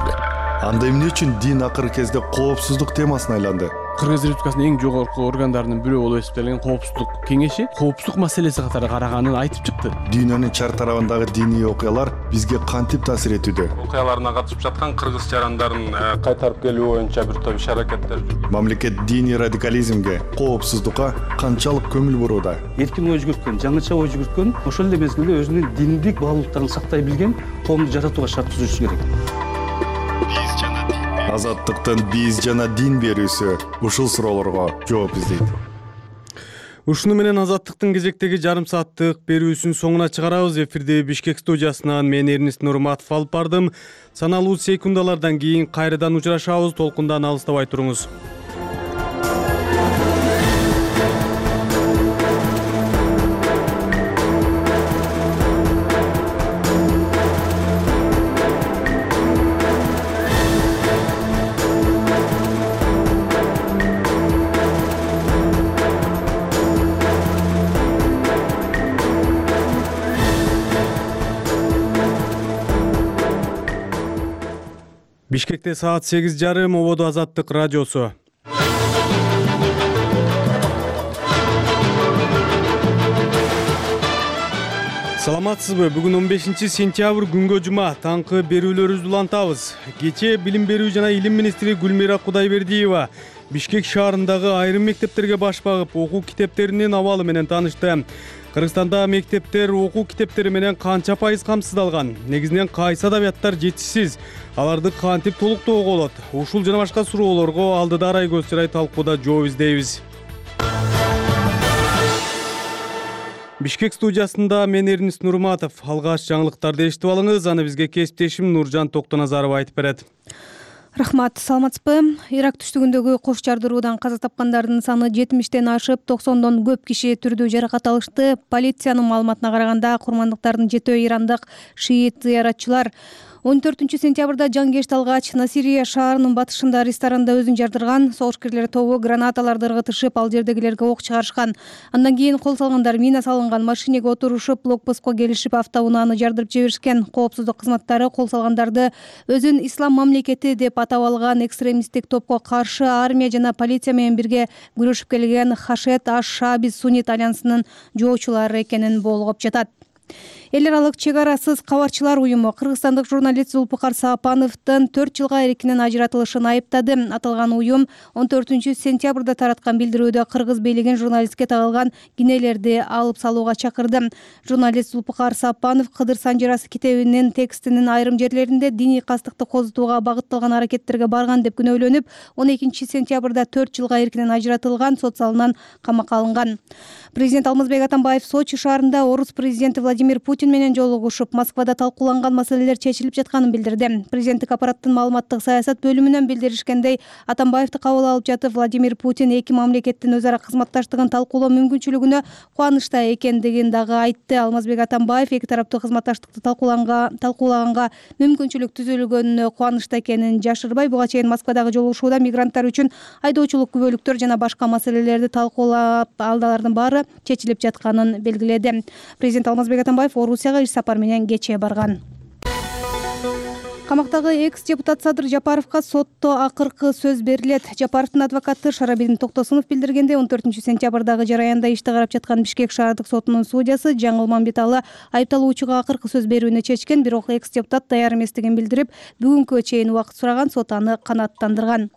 Анда эмне үчүн дин акыркы кезде коопсуздук темасына айланды? Кыргыз Республикасынын эң жогорку органдарынын бирөө болуп эсептелген Коопсуздук кеңеши коопсуздук маселеси катары караганын айтып чыкты. Дүйнөнүн чар тарабындагы диний окуялар бизге кантип таасир этүүдө? Окуяларына катышып жаткан кыргыз жарандарын кайтарып келүү боюнча бир топ иш-аракеттер жүрүп. Мамлекет диний радикализмге, коопсуздукка канчалык көңүл бурууда? Эркин ой жүгүрткөн, жаңыча ой жүгүрткөн, ошол эле мезгилде өзүнүн диндик баалуулуктарын сактай билген коомду жаратууга шарт түзүшү керек. Азаттыктын биз жана дин берүүсү ушул суроолорго жооп издейт. Ушуну менен Азаттыктын кезектеги жарым сааттык берүүсүн соңуна чыгарабыз. Эфирди Бишкек студиясынан мен Эрнест Нурматов алып бардым. Саналуу секундалардан кийин кайрадан учурашабыз. Толкундан алыстабай туруңуз. Бишкекте саат сегиз жарым, ободо Азаттык радиосу. Саламатсызбы? Бүгүн он бешинчи сентябрь күнгө жума. Таңкы берүүлөрүбүздү улантабыз. Кечээ Билим берүү жана Илим министри Гүлмира Кудайбердиева Бишкек шаарындагы айрым мектептерге баш багып, окуу китептеринин абалы менен таанышты. Кыргызстанда мектептер окуу китептери менен канча пайыз камсыздалган? Негизинен кайсы адабияттар жетишсиз? Аларды кантип толуктоого болот? Ушул жана башка суроолорго алдыда Арай Көзчарай талкууда жооп издейбиз. Бишкек студиясында мен Эрнис Нурматов. Алгач жаңылыктарды эшитип алыңыз, аны бизге кесиптешим Нуржан Токтоназарова айтып берет. Рахмат, саламатсызбы? Ирак түштүгүндөгү кош жардыруудан каза тапкандардын саны жетимиштен ашып, токсондон көп киши түрдүү жаракат алышты. Полициянын маалыматына караганда, курмандыктардын жетөө ирандык шиит зыяратчылар он төртүнчү сентябрда жангешти алгач Насирия шаарынын батышында ресторанда өзүн жардырган. Согушкерлер тобу гранаталарды ыргытышып, ал жердегилерге ок чыгарышкан. Андан кийин кол салгандар мина салынган машинеге отурушуп, блокпостко келишип, автоунааны жардырып жиберишкен. Коопсуздук кызматтары кол салгандарды өзүн ислам мамлекети деп атап алган экстремисттик топко каршы армия жана полиция менен бирге күрөшүп келген Хашет аш-Шааби Суннит альянсынын жоочулары экенин болгоп жатат. Эл аралык чек арасыз кабарчылар уюму кыргызстандык журналист Зулпукар Саапановдун төрт жылга эркинен ажыратылышын айыптады. Аталган уюм он төртүнчү сентябрда тараткан билдирүүдө кыргыз бийлигин журналистке тагылган кинелерди алып салууга чакырды. Журналист Зулпукар Саапанов Кыдыр Санжарасы китебинин текстинин айрым жерлеринде диний кастыкты козутууга багытталган аракеттерге барган деп күнөөлөнүп, он экинчи сентябрда төрт жылга эркинен ажыратылган, сот залынан камакка алынган. Президент Алмазбек Атамбаев Сочи шаарында орус президенти Владимир Путин менен жолугушуп, Москвада талкууланган маселелер чечилип жатканын билдирди. Президенттик аппараттын маалыматтык саясат бөлүмүнөн билдиришкендей, Атамбаевди кабыл алып жатып, Владимир Путин эки мамлекеттин өзара кызматташтыгын талкуулоо мүмкүнчүлүгүнө кубанычта экендигин дагы айтты. Алмазбек Атамбаев эки тараптуу кызматташтыкты талкуулаганга мүмкүнчүлүк түзүлгөнүнө кубанычта экенин жашырбай, буга чейин Москвадагы жолугушууда мигранттар үчүн айдоочулук күбөлүктөр жана башка маселелерди талкуулап, алдалардын баары чечилип жатканын белгиледи. Президент Алмазбек Атамбаев Орусияга иш сапар менен кечээ барган. Камактагы экс-депутат Садыр Жапаровго сотто акыркы сөз берилет. Жапаровдун адвокаты Шарабидин Токтосунов билдиргендей, он төртүнчү сентябрдагы жараянда ишти карап жаткан Бишкек шаардык сотунун судьясы Жаңыл Мамбеталы айыпталуучуга акыркы сөз берүүнү чечкен, бирок экс-депутат даяр эместигин билдирип, бүгүнкүгө чейин убакыт сураган, сот аны канааттандырган.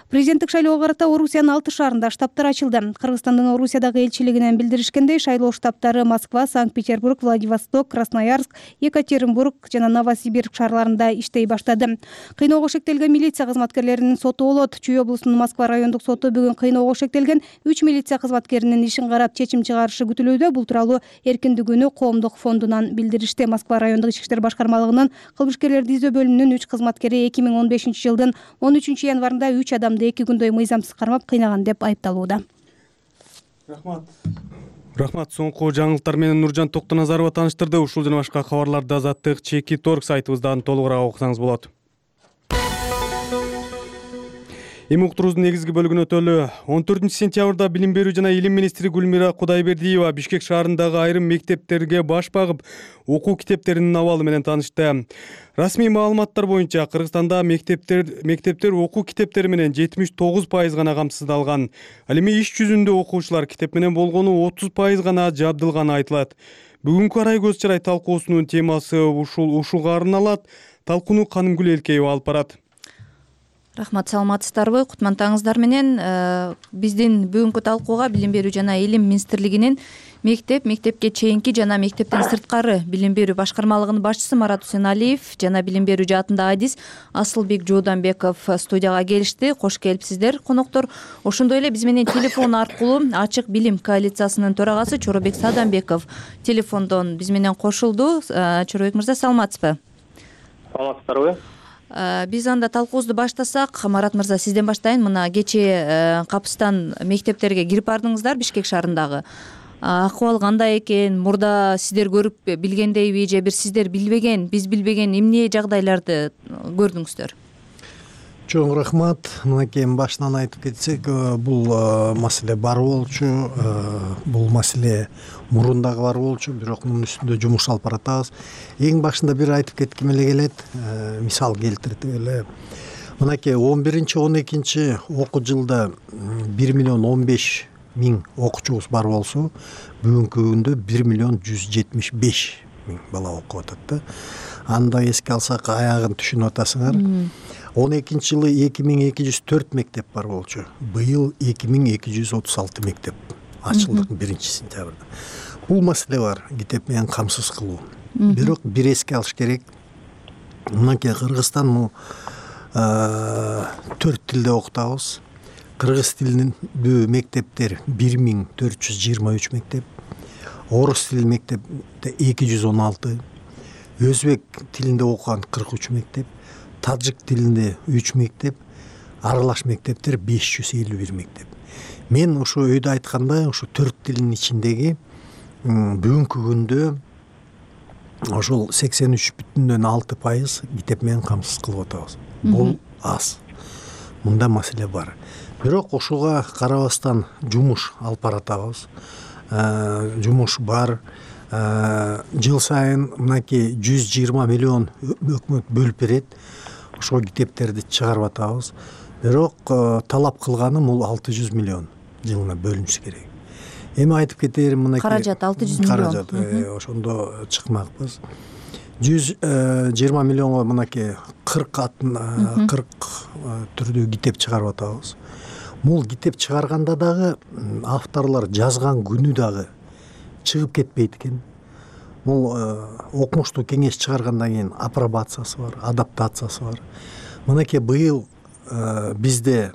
Президенттик шайлоого карата Орусиянын алты шаарында штабтар ачылды. Кыргызстандын Орусиядагы элчилигинен билдиришкендей, шайлоо штабтары Москва, Санкт-Петербург, Владивосток, Красноярск, Екатеринбург жана Новосибирск шаарларында иштей баштады. Кыйноого шектелген милиция кызматкерлеринин соту болот. Чүй облусунун Москва райондук соту бүгүн кыйноого шектелген үч милиция кызматкеринин ишин карап чечим чыгарышы күтүлүүдө. Бул тууралуу Эркиндик күнү коомдук фондунан билдиришти. Москва райондук ички иштер башкармалыгынын кылмышкерлерди издөө бөлүмүнүн үч кызматкери эки миң он бешинчи жылдын он үчүнчү январында үч адам эки күндөй мыйзамсыз кармап кыйнаган деп айыпталууда. Рахмат. Рахмат. Соңку жаңылыктар менен Нуржан Токтоназарова тааныштырды. Ушул жана башка кабарларды Азаттык Чеки Торг сайтыбыздан толугураак окусаңыз болот. Эми уктуруубуздун негизги бөлүгүнө өтөлү. он төртүнчү сентябрда Билим берүү жана Илим министри Гүлмира Кудайбердиева Бишкек шаарындагы айрым мектептерге баш багып, окуу китептеринин абалы менен таанышты. Расмий маалыматтар боюнча Кыргызстанда мектептер мектептер окуу китептери менен жетимиш тогуз пайыз гана камсыздалган. Ал эми иш жүзүндө окуучулар китеп менен болгону отуз пайыз гана жабдылганы айтылат. Бүгүнкү Арай Көзчарай талкуусунун темасы ушул ушуга арналат. Талкууну Канымгүл Элкеева алып барат. Рахмат, саламатсыздарбы? Кутмантаңыздар менен биздин бүгүнкү талкууга Билим берүү жана Илим министрлигинин мектеп, мектепке чейинки жана мектептен сырткары билим берүү башкармалыгынын башчысы Марат Усеналиев жана билим берүү жаатындагы адис Асылбек Жууданбеков студияга келишти. Кош келипсиздер, коноктор. Ошондой эле биз менен телефон аркылуу Ачык билим коалициясынын төрагасы Чоробек Саданбеков телефондон биз менен кошулду. Чоробек мырза, саламатсызбы? Саламатсыздарбы? Биз анда талкуубузду баштасак, Марат мырза, сизден баштайын. Мына кечээ капыстан мектептерге кирип бардыңыздар Бишкек шаарындагы. Акыбал кандай экен? Мурда сиздер көрүп билгендейби же бир сиздер билбеген, биз билбеген эмне жагдайларды көрдүңүздөр? чоң рахмат. Мынакей башынан айтып кетсек, бул маселе бар болчу, бул маселе мурун дагы бар болчу, бирок мунун үстүндө жумуш алып баратабыз. Эң башында бир айтып кетким эле келет, мисал келтирип эле. Мынакей он биринчи он экинчи окуу жылда бир миллион он беш миң окуучубуз бар болсо, бүгүнкү күндө бир миллион жүз жетимиш беш миң бала окуп атат да. Аны да эске алсак, аягын түшүнүп атасыңар. он экинчи жылы эки миң эки жүз төрт мектеп бар болчу. Быйыл эки миң эки жүз отуз алты мектеп ачылды биринчи сентябрда. Бул маселе бар, китеп менен камсыз кылуу. Бирок бир эске алыш керек. Мынакей Кыргызстан төрт тилде окутабыз. Кыргыз тилиндүү мектептер бир миң төрт жүз жыйырма үч мектеп, орус тилиндүү мектепте эки жүз он алты, өзбек тилинде окуган кырк үч мектеп, тажик тилинде үч мектеп, аралаш мектептер беш жүз элүү бир мектеп. Мен ошо өйдө айткандай, ошо төрт тилдин ичиндеги бүгүнкү күндө ошол сексен үч бүтүн алты пайыз китеп менен камсыз кылып атабыз. Бул аз. Мында маселе бар. Бирок ошого карабастан жумуш алып баратабыз. Жумуш бар. Жыл сайын мынакей жүз жыйырма миллион өкмөт бөлүп берет. Ошол китептерди чыгарып атабыз. Бирок талап кылганы бул алты жүз миллион жылына бөлүнүшү керек. Эми айтып кетерим, мынакей каражат алты жүз миллион. Каражат ошондо чыкмакпыз. жүз жыйырма миллионго мынакей кырк кырк түрдүү китеп чыгарып атабыз. Бул китеп чыгарганда дагы авторлор жазган күнү дагы чыгып кетпейт экен. Бул окумуштуу кеңеш чыгаргандан кийин апробациясы бар, адаптациясы бар. Мынакей быйыл бизде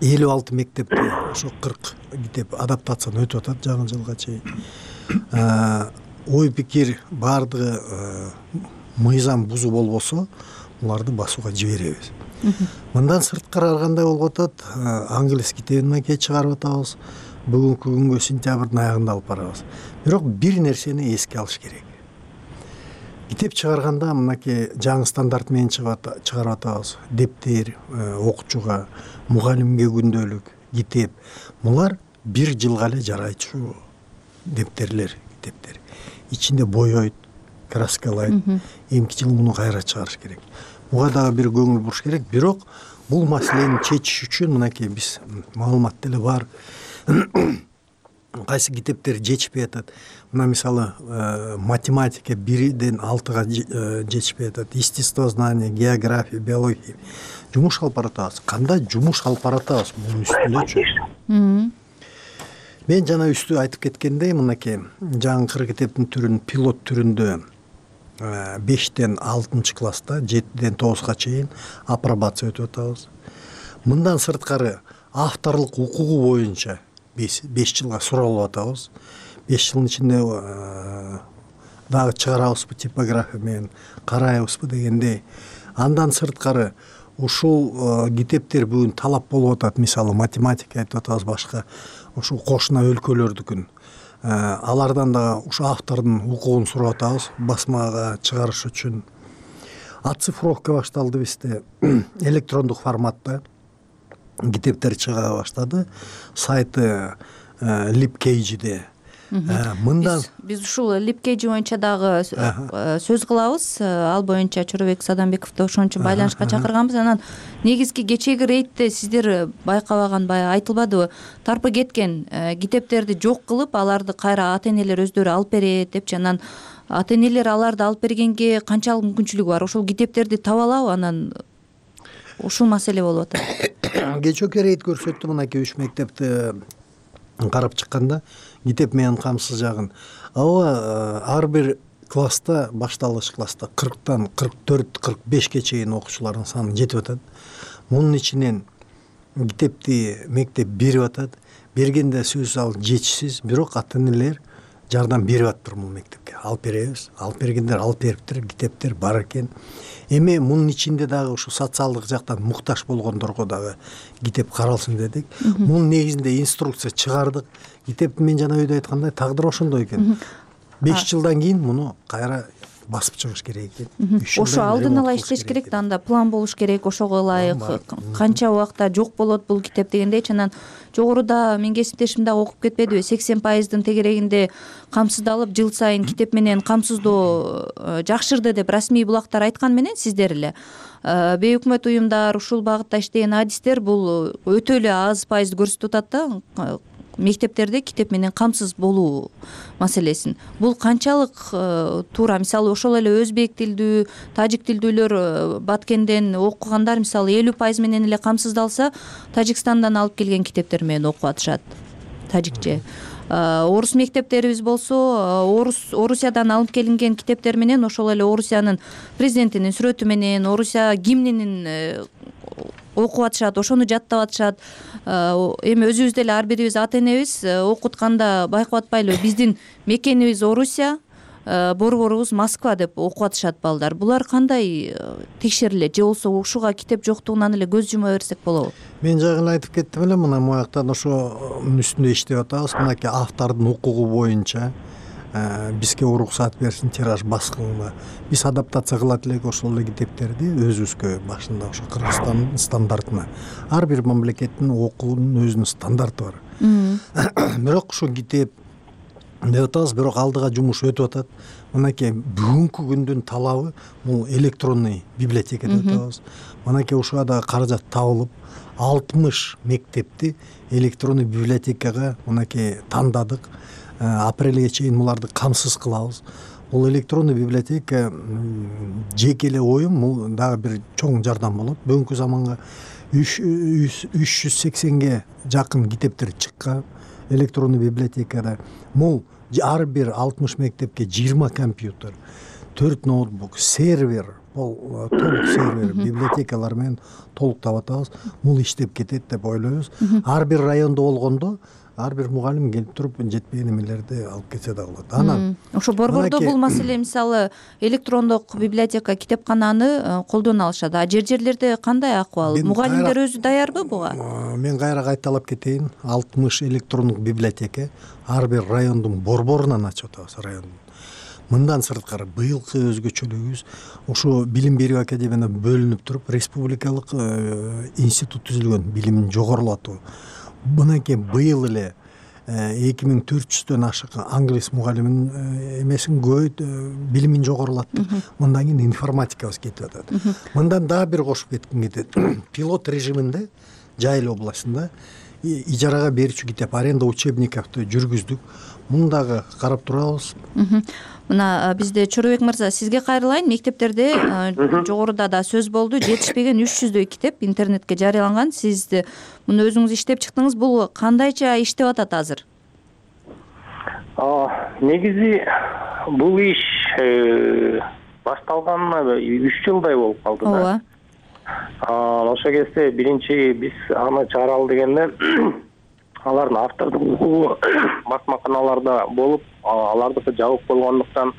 элүү алты мектепте ошо кырк китеп адаптациядан өтүп атат жаңы жылга чейин. Ой пикир бардыгы мыйзам бузуу болбосо, буларды басууга жиберебиз. Мындан сырткары кандай болуп атат? Англис китебин мынакей чыгарып атабыз. Бүгүнкү күнгө сентябрдын аягында алып барабыз. Бирок бир нерсени эске алыш керек. Китеп чыгарганда мынакей жаңы стандарт менен чыгарып атабыз. Дептер, окуучуга, мугалимге күндөлүк, китеп. Булар бир жылга эле жарайчу дептерлер, китептер. Ичинде боёйт, краскалайт. Эмки жыл муну кайра чыгарыш керек. Буга дагы бир көңүл буруш керек. Бирок бул маселени чечиш үчүн мынакей биз маалымат деле бар. Кайсы китептер жетишпей атат. Мына мисалы математика бирден алтыга жетишпей атат. Естествознание, география, биология. Жумуш алып баратабыз. Кандай жумуш алып баратабыз бунун үстүндө? Мен жана үстү айтып кеткендей, мынакей жаңы китептин түрүн пилот түрүндө бештен алтынчы класста, жетиден тогузга чейин апробация өтүп атабыз. Мындан сырткары авторлук укугу боюнча беш жылга суралып атабыз. беш жылдын ичинде дагы чыгарабызбы типография менен, карайбызбы дегендей. Андан сырткары ушул китептер бүгүн талап болуп атат. Мисалы математика айтып атабыз, башка ушул кошуна өлкөлөрдүкүн. Алардан да ушу автордун укугун сурап атабыз басмага чыгарыш үчүн. Оцифровка башталды бизде. Электрондук форматта китептер чыга баштады. Сайты LibCage'де. Мындан биз ушул LibCage боюнча дагы сөз кылабыз. Ал боюнча Чоробек Садамбековду ошон үчүн байланышка чакырганбыз. Анан негизги кечээги рейдте сиздер байкабаган, баягы айтылбадыбы, тарпы кеткен китептерди жок кылып, аларды кайра ата-энелер өздөрү алып берет депчи. Анан ата-энелер аларды алып бергенге канчалык мүмкүнчүлүгү бар? Ошол китептерди таба алабы? Анан ушул маселе болуп атат. Кечээки рейд көрсөттү, мынакей үч мектепти карап чыкканда китеп менен камсыз жагын. Ага ар бир класста, башталгыч класста кырктан кырк төрт кырк бешке чейин окуучулардын саны жетип атат. Мунун ичинен китепти мектеп берип атат. Бергенде сөзсүз ал жетишсиз, бирок ата-энелер жардам берип атыптыр бул мектепке. Алып беребиз. Алып бергендер алып бериптир, китептер бар экен. Эми мунун ичинде дагы ушу социалдык жактан муктаж болгондорго дагы китеп каралсын дедик. Мунун негизинде инструкция чыгардык. Китеп мен жана өйдө айткандай тагдыр ошондой экен. беш жылдан кийин муну кайра басып чыгыш керек экен. Ошо алдын ала иштеш керек да, анда план болуш керек, ошого ылайык канча убакта жок болот бул китеп дегендейчи. Анан жогоруда менин кесиптешим дагы окуп кетпедиби, сексен пайыздын тегерегинде камсыздалып, жыл сайын китеп менен камсыздоо жакшырды деп расмий булактар айткан менен сиздер эле бейөкмөт уюмдар, ушул багытта иштеген адистер бул өтө эле аз пайызды көрсөтүп атат да мектептерде китеп менен камсыз болуу маселесин. Бул канчалык туура? Мисалы ошол эле өзбек тилдүү, тажик тилдүүлөр Баткенден окугандар мисалы элүү пайыз менен эле камсыздалса, Тажикстандан алып келген китептер менен окуп атышат тажикче. Орус мектептерибиз болсо, орус Орусиядан алып келинген китептер менен ошол эле Орусиянын президентинин сүрөтү менен, Орусия гимнинин окуп атышат, ошону жаттап атышат. Эми өзүбүз деле ар бирибиз ата энебиз окутканда байкап атпайлыбы, биздин мекенибиз Орусия, борборубуз Москва деп окуп атышат балдар. Булар кандай текшерилет, же болбосо ушуга китеп жоктугунан эле көз жума берсек болобу? Мен жагын айтып кеттим эле, мына муяктан ошонун үстүндө иштеп атабыз. Мынакей автордун укугу боюнча бизге уруксат берсин тираж баскынга. Биз адаптация кылат элек ошол эле китептерди өзүбүзгө башында ошо Кыргызстандын стандартына. Ар бир мамлекеттин окуунун өзүнүн стандарты бар. Бирок ушул китеп деп атабыз, бирок алдыга жумуш өтүп атат. Мынакей бүгүнкү күндүн талабы бул электронный библиотека деп атабыз. Мынакей ушуга дагы каражат табылып, алтымыш мектепти электронный библиотекага мынакей тандадык. Апрелге чейин буларды камсыз кылабыз. Бул электронный библиотека жеке эле оюм, бул дагы бир чоң жардам болот. Бүгүнкү заманга үч жүз сексенге жакын китептер чыккан электронный библиотекада. Бул ар бир алтымыш мектепке жыйырма компьютер, төрт ноутбук, сервер, толук сервер, библиотекалар менен толуктап атабыз. Бул иштеп кетет деп ойлойбуз. Ар бир райондо болгондо ар бир мугалим келип туруп жетпеген эмелерди алып кетсе да болот. Анан ошо борбордо бул маселе мисалы электрондук библиотека, китепкананы колдоно алышат. А жер жерлерде кандай акыбал? Мугалимдер өзү даярбы буга? Мен кайра кайталап кетейин. алтымыш электрондук библиотека ар бир райондун борборунан ачып атабыз, райондун. Мындан сырткары быйылкы өзгөчөлүгүбүз ушу билим берүү академиядан бөлүнүп туруп республикалык институт түзүлгөн, билимин жогорулатуу. Мынакей быйыл эле эки миң төрт жүздөн ашык англис мугалимин эмесин көбөйт, билимин жогорулаттык. Мындан кийин информатикабыз кетип атат. Мындан дагы бир кошуп кетким кетет. Пилот режиминде Жайыл областында ижарага берүүчү китеп аренда учебниктерди жүргүздүк. Муну дагы карап турабыз. Мына бизде Чорубек мырза, сизге кайрылайын. Мектептерде жогоруда да сөз болду, жетишпеген үч жүздөй китеп интернетке жарыяланган. Сиз муну өзүңүз иштеп чыктыңыз. Бул кандайча иштеп атат азыр? Негизи бул иш башталганына үч жылдай болуп калды да. Ооба. Ошо кезде биринчи биз аны чыгаралы дегенде алардын автордук укугу басмаканаларда болуп, алардыкы жабык болгондуктан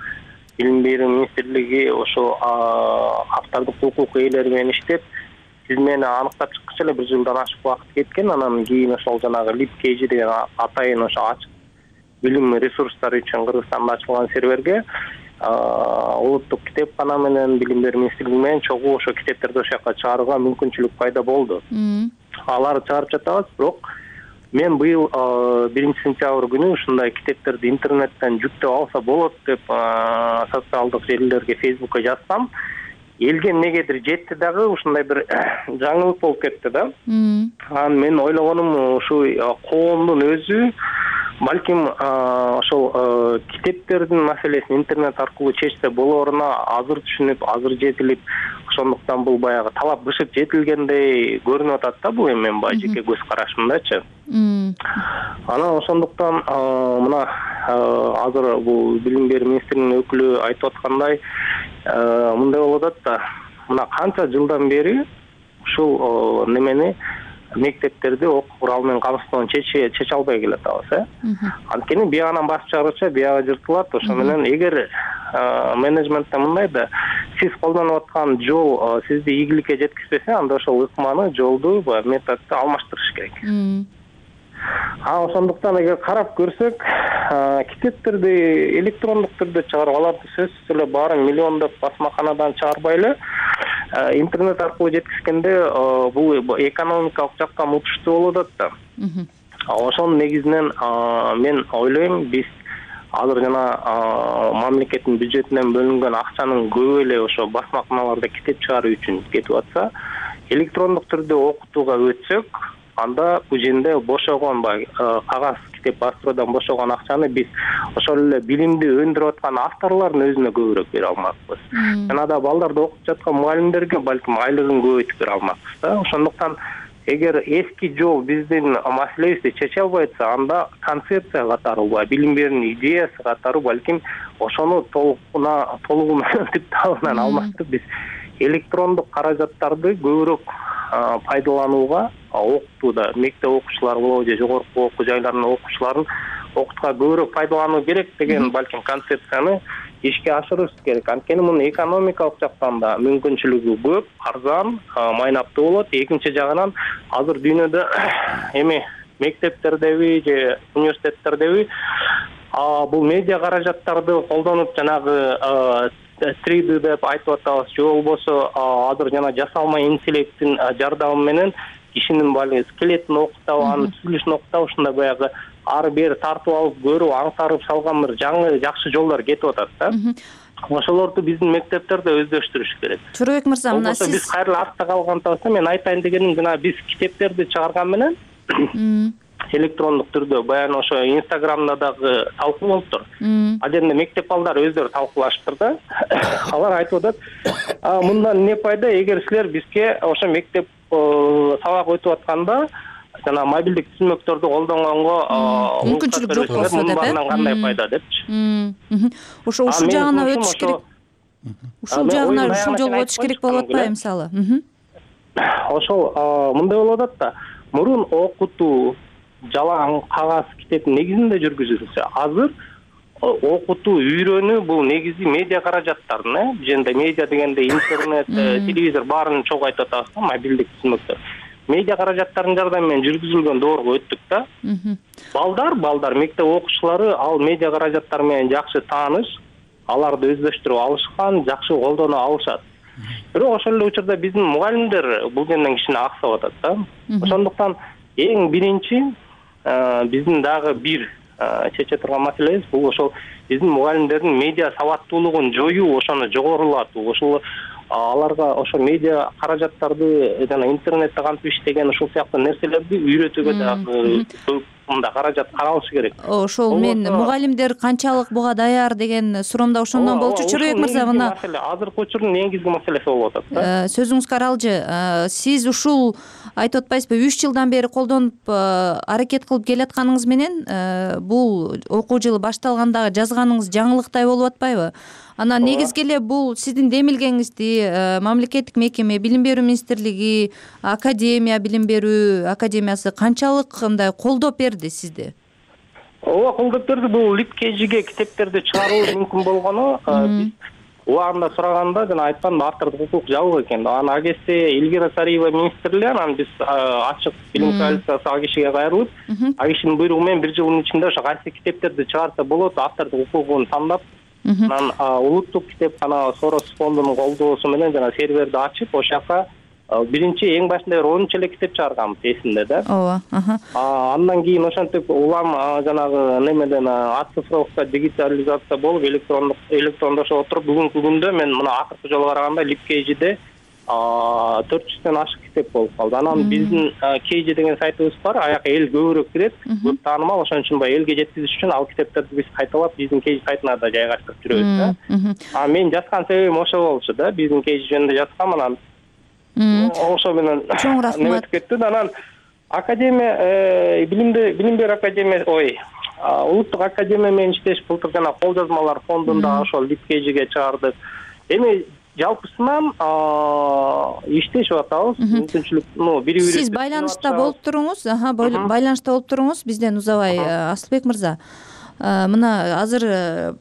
билим берүү министрлиги ошо автордук укук ээлери менен иштеп, тизмени аныктап чыккыча эле бир жылдан ашык убакыт кеткен. Анан кийин ошол жанагы LibKG деген атайын ошо ачык билим ресурстары үчүн Кыргызстанда ачылган серверге улуттук китепкана менен билим берүү министрлиги менен чогуу ошо китептерди ошол жака чыгарууга мүмкүнчүлүк пайда болду. Аларды чыгарып жатабыз, бирок мен быйыл биринчи сентябрь күнү ушундай китептерди интернеттен жүктөп алса болот деп социалдык желилерге, Facebookка жазсам, элге эмнегедир жетти дагы ушундай бир жаңылык болуп кетти да. Анан мен ойлогонум ушу коомдун өзү балким ошол китептердин маселесин интернет аркылуу чечсе болоруна азыр түшүнүп, азыр жетилип, ошондуктан бул баягы талап бышып жетилгендей көрүнүп атат да, бул эми менин баягы жеке көз карашымдачы. Анан ошондуктан мына азыр бул билим берүү министрлигинин өкүлү айтып аткандай мындай болуп атат да, мына канча жылдан бери ушул немени мектептерди окуу куралы менен камсыздоону чече чече албай келатабыз, э. Анткени биягынан басып чыгарыча биягы жыртылат. Ошо менен эгер менеджментте мындай да, сиз колдонуп аткан жол сизди ийгиликке жеткизбесе, анда ошол ыкманы, жолду, методду алмаштырыш керек. а ошондуктан эгер карап көрсөк китептерди электрондук түрдө чыгарып аларды сөзсүз эле баарын миллиондоп басмаканадан чыгарбай эле интернет аркылуу жеткизгенде бул экономикалык жактан утуштуу болуп атат да. Ошонун негизинен мен ойлойм, биз азыр жана мамлекеттин бюджетинен бөлүнгөн акчанын көбү эле ошо басмаканаларда китеп чыгаруу үчүн кетип атса, электрондук түрдө окутууга өтсөк, анда бул жерде бошогон кагаз китеп бастыруудан бошогон акчаны биз ошол эле билимди өндүрүп аткан авторлордун өзүнө көбүрөөк бере алмакпыз. Жана да балдарды окутуп жаткан мугалимдерге балким айлыгын көбөйтүп бере алмакпыз да. Ошондуктан эгер эски жол биздин маселебизди чече албай атса, анда концепция катары, билим берүүнүн идеясы катары балким ошону толугуна толугу менен типтабынан алмаштырып биз электрондук каражаттарды көбүрөөк пайдаланууга, окутууда мектеп окуучулары болобу же жогорку окуу жайларынын окуучуларын окутууга көбүрөөк пайдалануу керек деген балким концепцияны ишке ашырыш керек. Анткени мунун экономикалык жактан да мүмкүнчүлүгү көп, арзан, майнаптуу болот. Экинчи жагынан азыр дүйнөдө эми мектептердеби же университеттердеби бул медиа каражаттарды колдонуп жанагы три ди деп айтып атабыз, же болбосо азыр жана жасалма интеллекттин жардамы менен кишинин баягы скелетин окутабы, анын түзүлүшүн окутабы, ушундай баягы ары бери тартып алып көрүп, аңсарып салган бир жаңы жакшы жолдор кетип атат да. Ошолорду биздин мектептерде өздөштүрүш керек. Чорбек мырза, мына сиз биз кайра артта калган болсо, мен айтайын дегеним жана биз китептерди чыгарган менен электрондук түрдө баягы ошо Инстаграмда дагы талкуу болуптур. Ал жерде мектеп балдары өздөрү талкуулашыптыр да. Алар айтып атат, мындан эмне пайда, эгер силер бизге ошо мектеп сабак өтүп атканда жана мобилдик түзмөктөрдү колдонгонго мүмкүнчүлүк жок болсо деп, мындан кандай пайда депчи. Ошо ушул жагына өтүш керек. Ушул жагына ушул жолго өтүш керек болуп атпайбы мисалы? Ошол мындай болуп атат да. Мурун окутуу жалаң кагаз китептин негизинде жүргүзүлсө, азыр окутуу, үйрөнүү бул негизи медиа каражаттардын, э? Бул жерде медиа дегенде интернет, телевизор баарын чогуу айтып атабыз, мобилдик түзмөктөр. Медиа каражаттардын жардамы менен жүргүзүлгөн доорго өттүк да. Балдар, балдар, мектеп окуучулары ал медиа каражаттар менен жакшы тааныш, аларды өздөштүрүп алышкан, жакшы колдоно алышат. Бирок ошол эле учурда биздин мугалимдер бул жерден кичине аксап атат да. Ошондуктан эң биринчи биздин дагы бир чече турган маселебиз бул ошол биздин мугалимдердин медиа сабаттуулугун жоюу, ошону жогорулатуу, ошол аларга ошо медиа каражаттарды жана интернетте кантип иштеген ушул сыяктуу нерселерди үйрөтүүгө дагы көп мында каражат каралышы керек. Ошол мен мугалимдер канчалык буга даяр деген суроомдо ошондон болчу. Чорбек мырза, мына азыркы учурдун негизги маселеси болуп атат да. Сөзүңүз каралжы. Сиз ушул айтып атпайсызбы, үч жылдан бери колдонуп аракет кылып келатканыңыз менен бул окуу жылы башталгандагы жазганыңыз жаңылыктай болуп атпайбы? Анан негизги эле бул сиздин демилгеңизди мамлекеттик мекеме, билим берүү министрлиги, академия, билим берүү академиясы канчалык мындай колдоп берди сизди? Ооба, колдоп берди. Бул липкежиге китептерди чыгаруу мүмкүн болгону биз убагында сураганда жана айтканда автордук укук жабык экен. Анан ал кезде Эльвира Сариева министр эле, анан биз ачык билим коалициясы ал кишиге кайрылып, ал кишинин буйругу менен бир жылдын ичинде ошо кайсы китептерди чыгарса болот, автордук укугун тандап, анан улуттук китепкана Сорос фондунун колдоосу менен жана серверди ачып, ошол жака биринчи эң башында бир онунчу эле китеп чыгарганбыз эсимде да. Ооба. Андан кийин ошентип улам жанагы немеден оцифровка, дигитализация болуп, электрондук электрондошо отуруп, бүгүнкү күндө мен мына акыркы жолу караганда липкежиде төрт жүздөн ашык китеп болуп калды. Анан биздин Кейжи деген сайтыбыз бар, аяка эл көбүрөөк кирет, көп таанымал, ошон үчүн баягы элге жеткизиш үчүн ал китептерди биз кайталап биздин Кейжи сайтына да жайгаштырып жүрөбүз да. А мен жазган себебим ошол болчу да, биздин Кейжи жөнүндө жазгам, анан ошо менен чоң рахмат. Неметип кетти. Анан академия, билимди билим берүү академия, ой, улуттук академия менен иштеш былтыр жана кол жазмалар фондунда ошол липкежиге чыгардык. Эми жалпысынан иштешип атабыз. Мүмкүнчүлүк, ну, бири-бири. Сиз байланышта болуп туруңуз, аха, байланышта болуп туруңуз бизден узабай. Асылбек мырза, мына азыр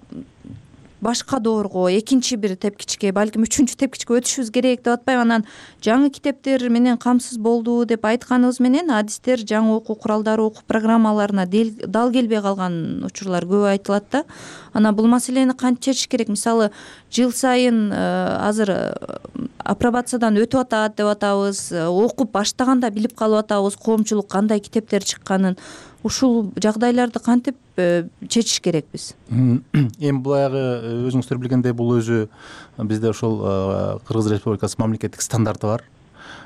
башка доорго, экинчи бир тепкичке, балким үчүнчү тепкичке өтүшүбүз керек деп атпайбы. Анан жаңы китептер менен камсыз болду деп айтканыбыз менен адистер жаңы окуу куралдары, окуу программаларына дал келбей калган учурлар көп айтылат да. Анан бул маселени кантип чечиш керек? Мисалы, жыл сайын азыр апробациядан өтүп атат деп атабыз, окуп баштаганда билип калып атабыз коомчулук кандай китептер чыкканын. Ушул жагдайларды кантип чечиш керекпиз? Эми баягы өзүңүздөр билгендей бул өзү бизде ошол Кыргыз Республикасы мамлекеттик стандарты бар.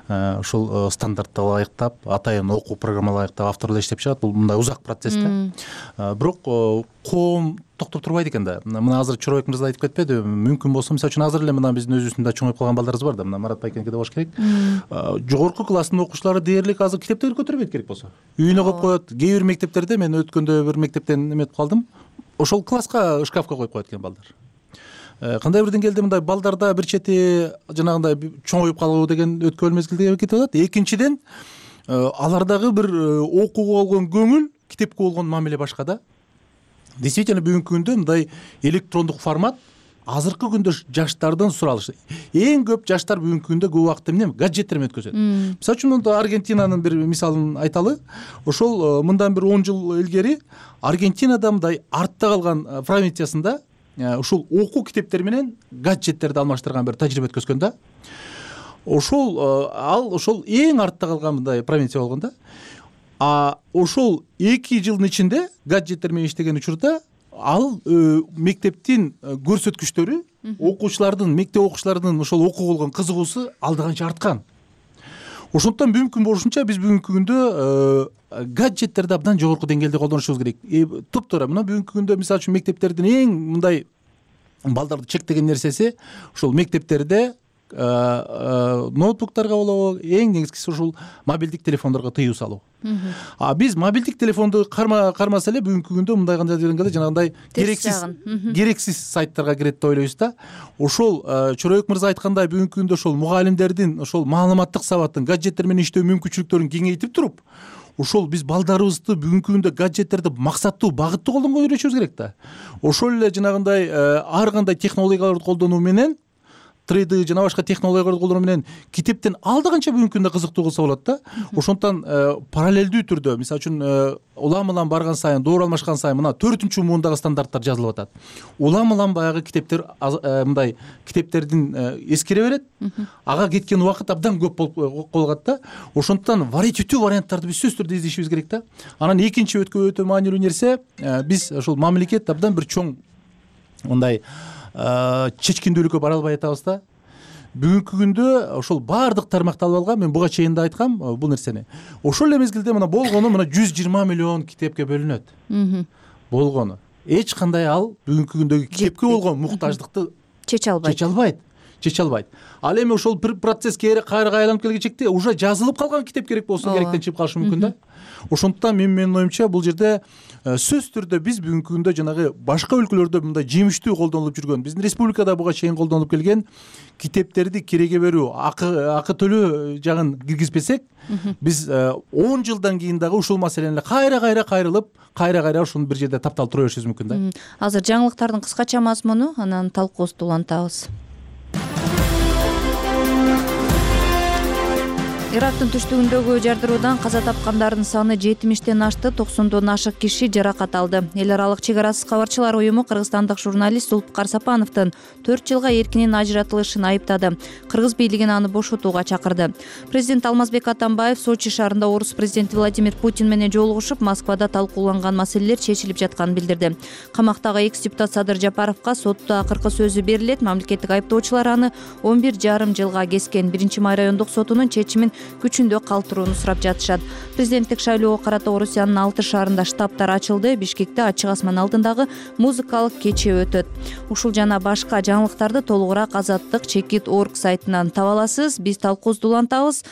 Ушул стандартты ылайыктап, атайын окуу программалары ылайыктап авторлор иштеп чыгат. Бул мындай узак процесс да. Бирок коом токтоп турбайт экен да. Мына азыр Чоробек мырза айтып кетпеди, мүмкүн болсо мисалы үчүн азыр эле мына биздин өзүбүздүн чоңоюп калган балдарыбыз бар да. Мына Марат байкеники да болуш керек. Жогорку класстын окуучулары дээрлик азыр китептерди көтөрбөйт керек болсо. Үйүнө коюп коет. Кээ бир мектептерде мен өткөндө бир мектептен эметип калдым. Ошол класска шкафка коюп коет экен балдар. Кандай бир деңгээлде мындай балдарда бир чети жанагындай чоңоюп калуу деген өткөн мезгилде кетип атат. Экинчиден, алардагы бир окууга болгон көңүл, китепке болгон мамиле башка да. Действительно бүгүнкү күндө мындай электрондук формат азыркы күндө жаштардан суралышы. Эң көп жаштар бүгүнкү күндө көп убакытты эмне? Гаджеттер менен өткөзөт. Мисалы үчүн Аргентинанын бир мисалын айталы. Ошол мындан бир он жыл илгери Аргентинада мындай артта калган провинциясында ушул окуу китептери менен гаджеттерди алмаштырган бир тажрыйба өткөзгөн да. Ошол ал ошол эң артта калган мындай провинция болгон да. А ошол эки жылдын ичинде гаджеттер менен иштеген учурда ал мектептин көрсөткүчтөрү, окуучулардын, мектеп окуучуларынын ошол окууга болгон кызыгуусу алда канча арткан. Ошондуктан мүмкүн болушунча биз бүгүнкү күндө гаджеттерди абдан жогорку деңгээлде колдонушубуз керек. Туптуура мына бүгүнкү күндө мисалы үчүн мектептердин эң мындай балдарды чектеген нерсеси ошол мектептерде ноутбуктарга болобу, эң негизгиси ушул мобилдик телефондорго тыюу салуу. А биз мобилдик телефонду кармаса эле бүгүнкү күндө мындай кандай дегенде жанагындай керексиз керексиз сайттарга кирет деп ойлойбуз да. Ошол Чоробек мырза айткандай бүгүнкү күндө ошол мугалимдердин ошол маалыматтык сабатын, гаджеттер менен иштөө мүмкүнчүлүктөрүн кеңейтип туруп, ошол биз балдарыбызды бүгүнкү күндө гаджеттерди максаттуу, багыттуу колдонгонго үйрөтүшүбүз керек да. Ошол эле жанагындай ар кандай технологияларды колдонуу менен три дэ жана башка технологияларды колдонуу менен китептен алда канча бүгүнкү күндө кызыктуу кылса болот да. Ошондуктан параллелдүү түрдө мисалы үчүн улам улам барган сайын, доор алмашкан сайын мына төртүнчү муундагы стандарттар жазылып атат. Улам улам баягы китептер мындай китептердин эскере берет. Ага кеткен убакыт абдан көп болуп калат да. Ошондуктан вариативдүү варианттарды биз сөзсүз түрдө издешибиз керек да. Анан экинчи өтө өтө маанилүү нерсе, биз ошол мамлекет абдан бир чоң мындай чечкиндүүлүккө бара албай атабыз да. Бүгүнкү күндө ошол баардык тармакталып алган, мен буга чейин да айткам бул нерсени. Ошол эле мезгилде мына болгону мына жүз жыйырма миллион китепке бөлүнөт. Болгону. Эч кандай ал бүгүнкү күндөгү китепке болгон муктаждыкты чече албайт. Чече албайт. Чече албайт. Ал эми ошол бир процесс кайра айланып келгенчекте уже жазылып калган китеп керек болсо керектен чыгып калышы мүмкүн да. Ошондуктан мен менин оюмча бул жерде сөзсүз түрдө биз бүгүнкү күндө жанагы башка өлкөлөрдө мындай жемиштүү колдонулуп жүргөн, биздин республикада буга чейин колдонулуп келген китептерди киреге берүү, акы акы төлөө жагын киргизбесек, биз он жылдан кийин дагы ушул маселени кайра-кайра кайрылып, кайра-кайра ушуну бир жерде тапталып тура беришибиз мүмкүн да. Азыр жаңылыктардын кыскача мазмуну, анан талкуубузду улантабыз. Ирактын түштүгүндөгү жардыруудан каза тапкандардын саны жетимиштен ашты, токсондон ашык киши жаракат алды. Эл аралык чек арасыз кабарчылар уюму кыргызстандык журналист Зулпукар Сапановдун төрт жылга эркинен ажыратылышын айыптады. Кыргыз бийлигин аны бошотууга чакырды. Президент Алмазбек Атамбаев Сочи шаарында орус президенти Владимир Путин менен жолугушуп, Москвада талкууланган маселелер чечилип жатканын билдирди. Камактагы экс-депутат Садыр Жапаровго сотто акыркы сөзү берилет. Мамлекеттик айыптоочулар аны он бир жарым жылга кескен. Биринчи май райондук сотунун чечимин күчүндө калтырууну сурап жатышат. Президенттик шайлоого карата Орусиянын алты шаарында штабтар ачылды. Бишкекте ачык асман алдындагы музыкалык кече өтөт. Ушул жана башка жаңылыктарды толугураак азаттык чекит точка орг сайтынан таба аласыз. Биз талкуубузду улантабыз.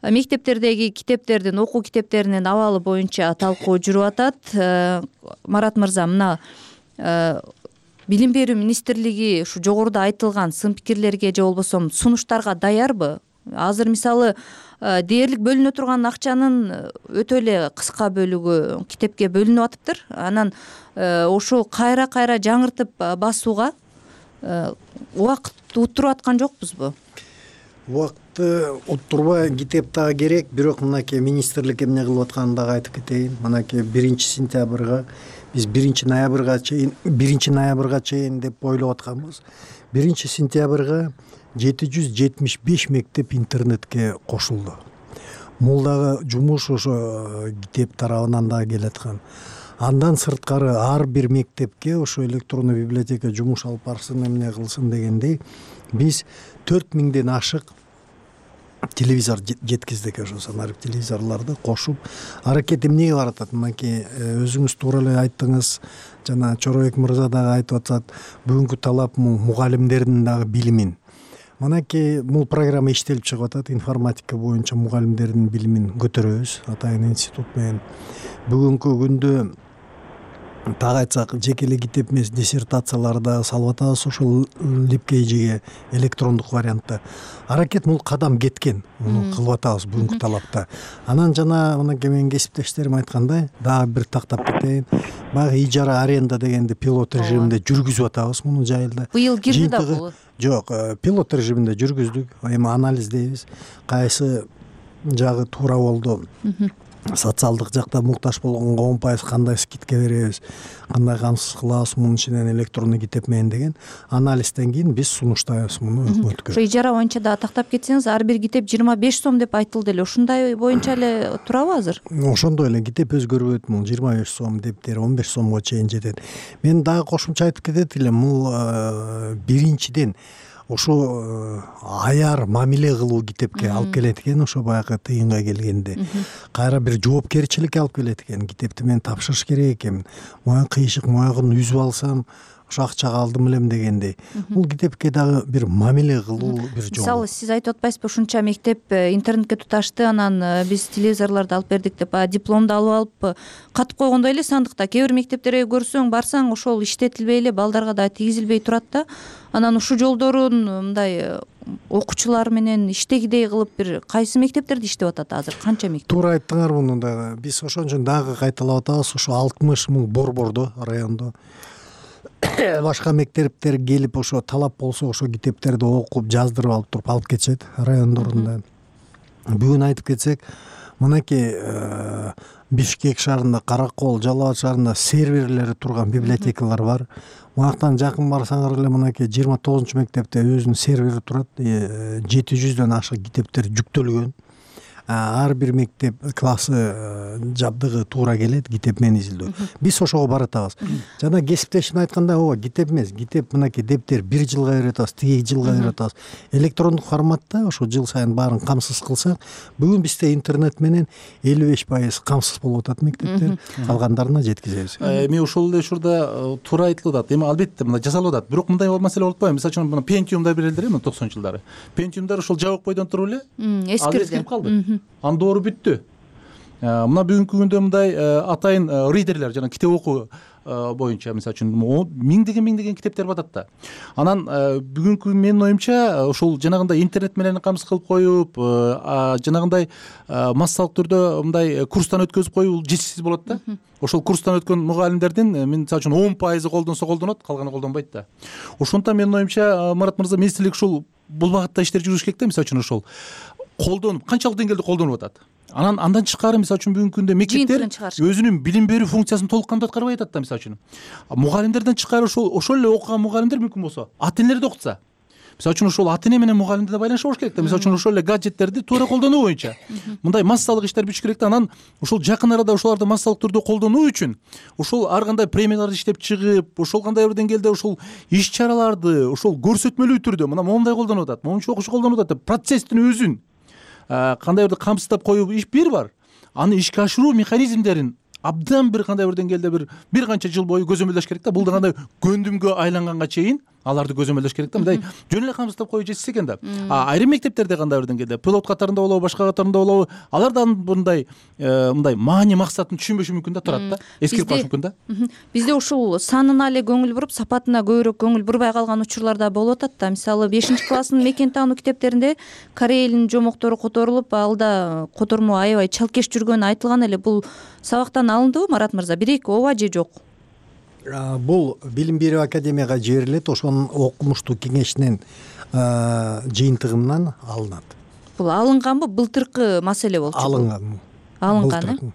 Мектептердеги китептердин, окуу китептеринин абалы боюнча талкуу жүрүп атат. Марат мырза, мына Билим берүү министрлиги ушу жогоруда айтылган сын пикирлерге же болбосо сунуштарга даярбы? Азыр мисалы дээрлик бөлүнө турган акчанын өтө эле кыска бөлүгү китепке бөлүнүп атыптыр. Анан ошол кайра-кайра жаңыртып басууга убакыт уттуруп аткан жокпузбу? Убакытты уттурбай китеп дагы керек, бирок мынакей министрлик эмне кылып атканын дагы айтып кетейин. Мынакей биринчи сентябрга биз биринчи ноябрга чейин биринчи ноябрга чейин деп ойлоп атканбыз. Биринчи сентябрга жети жүз жетимиш беш мектеп интернетке кошулду. Бул дагы жумуш ошо китеп тарабынан дагы келаткан. Андан сырткары ар бир мектепке ошо электрондуу библиотека жумуш алып барсын, эмне кылсын дегендей биз төрт миңден ашык телевизор жеткиздик. Ошо санарип телевизорлорду кошуп аракет эмнеге барып атат? Мынакей өзүңүз туура эле айттыңыз, жана Чоробек мырза дагы айтып атат, бүгүнкү талап мугалимдердин дагы билимин. Мынакей бул программа иштелип чыгып атат, информатика боюнча мугалимдердин билимин көтөрөбүз Атайын институт менен. Бүгүнкү күндө так айтсак жеке эле китеп эмес, диссертацияларды дагы салып атабыз ошол липкейжиге электрондук вариантта. Аракет бул кадам кеткен, муну кылып атабыз бүгүнкү талапта. Анан жана мынакей менин кесиптештерим айткандай, дагы бир тактап кетейин. Баягы ижара аренда дегенди пилот режиминде жүргүзүп атабыз муну жайылда. Быйыл кирди да бул? Жок, пилот режиминде жүргүздүк. Эми анализдейбиз. Кайсы жагы туура болду, социалдык жакта муктаж болгонго он пайыз кандай скидка беребиз, кандай камсыз кылабыз мунун ичинен электрондуу китеп менен деген анализден кийин биз сунуштайбыз муну өкмөткө. Ошо ижара боюнча дагы тактап кетсеңиз, ар бир китеп жыйырма беш сом деп айтылды эле. Ушундай боюнча эле турабы азыр? Ошондой эле китеп өзгөрбөйт, бул жыйырма беш сом дептер он беш сомго чейин жетет. Мен дагы кошумча айтып кетет элем, бул биринчиден ошо аяр мамиле кылуу китепке алып келет экен, ошо баягы тыйынга келгенде. Кайра бир жоопкерчиликке алып келет экен. Китепти мен тапшырыш керек экен. Моюн кыйшык моягын үзүп алсам ошо акчага алдым элем дегендей. Бул китепке дагы бир мамиле кылуу бир жол. Мисалы, сиз айтып атпайсызбы, ушунча мектеп интернетке туташты, анан биз телевизорлорду алып бердик деп, дипломду алып алып катып койгондой эле сандыкта. Кээ бир мектептерге көрсөң, барсаң ошол иштетилбей эле, балдарга да тийгизилбей турат да. Анан ушул жолдорун мындай окуучулар менен иштегидей кылып бир кайсы мектептерде иштеп атат азыр? Канча мектеп? Туура айттыңар муну дагы. Биз ошон үчүн дагы кайталап атабыз, ошо алтымыш миң борбордо, райондо башка мектептер келип ошо талап болсо ошо китептерди окуп жаздырып алып туруп алып кетишет райондорунда. Бүгүн айтып кетсек, мынакей Бишкек шаарында, Каракол, Жалал абад шаарында серверлери турган библиотекалар бар. Муяктан жакын барсаңар эле мынакей жыйырма тогузунчу мектепте өзүнүн сервери турат, жети жүздөн ашык китептер жүктөлгөн. Ар бир мектеп классы жабдыгы туура келет китеп менен изилдөө. Биз ошого баратабыз. Жана кесиптешим айткандай, ооба, китеп эмес, китеп мынакей дептер бир жылга берип атабыз, тиги жылга берип атабыз. Электрондук форматта ошо жыл сайын баарын камсыз кылсак, бүгүн бизде интернет менен элүү беш пайыз камсыз болуп атат мектептер, калгандарына жеткизебиз. Эми ошол эле учурда туура айтылып атат. Эми албетте мындай жасалып атат. Бирок мындай маселе болуп атпайбы? Мисалы үчүн Pentium'дар берилди эле токсонунчу жылдары. Pentium'дар ошол жабык бойдон туруп эле эскирип калды. Ан доору бүттү. Мына бүгүнкү күндө мындай атайын ридерлер жана китеп окуу боюнча мисалы үчүн миңдеген миңдеген китептер батат да. Анан бүгүнкү менин оюмча ошол жанагындай интернет менен камсыз кылып коюп, жанагындай массалык түрдө мындай курстан өткөзүп коюу жетишсиз болот да. Ошол курстан өткөн мугалимдердин мисалы үчүн он пайызы колдонсо колдонот, калганы колдонбойт да. Ошондуктан менин оюмча Марат мырза, министрлик ушул бул багытта иштер жүргүзүш керек да. Мисалы үчүн ошол колдонуп, канчалык деңгээлде колдонуп атат. Анан андан тышкары мисалы үчүн бүгүнкү күндө мектептер өзүнүн билим берүү функциясын толук кандуу аткарбай атат да. Мисалы үчүн мугалимдерден тышкары ошол ошол эле окуган мугалимдер мүмкүн болсо ата энелерди окутса, мисалы үчүн ошол ата эне менен мугалимди да байланышы болуш керек да. Мисалы үчүн ошол эле гаджеттерди туура колдонуу боюнча мындай массалык иштер бүтүш керек да. Анан ошол жакын арада ошолорду массалык түрдө колдонуу үчүн ошол ар кандай премияларды иштеп чыгып, ошол кандай бир деңгээлде ошол иш чараларды ошол көрсөтмөлүү түрдө мына момундай колдонуп атат, момунча окуш колдонуп атат деп процесстин өзүн кандай бир камсыздап коюу иш бир бар. Аны ишке ашыруу механизмдерин абдан бир кандай бир деңгээлде бир бир канча жыл бою көзөмөлдөш керек да. Бул дагы көндүмгө айланганга чейин аларды көзөмөлдөш керек да. Мындай жөн эле камсыздап коюу жетишсе экен да. Айрым мектептерде кандай бир деңгээлде пилот катарында болобу, башка катарында болобу, алар да мындай мындай маани максатын түшүнбөшү мүмкүн да, турат да, эскирип калышы мүмкүн да. Бизде ушул санына эле көңүл буруп, сапатына көбүрөөк көңүл бурбай калган учурлар да болуп атат да. Мисалы бешинчи класстын мекен таануу китептеринде корей элинин жомоктору которулуп, алда котормо аябай чалкеш жүргөнү айтылган эле. Бул сабактан алындыбы, Марат мырза? Бир эки ооба же жок? бул билим берүү академияга жиберилет, ошонун окумуштуу кеңешинин жыйынтыгынан алынат. Бул алынганбы, былтыркы маселе болчу? Алынган. Алынган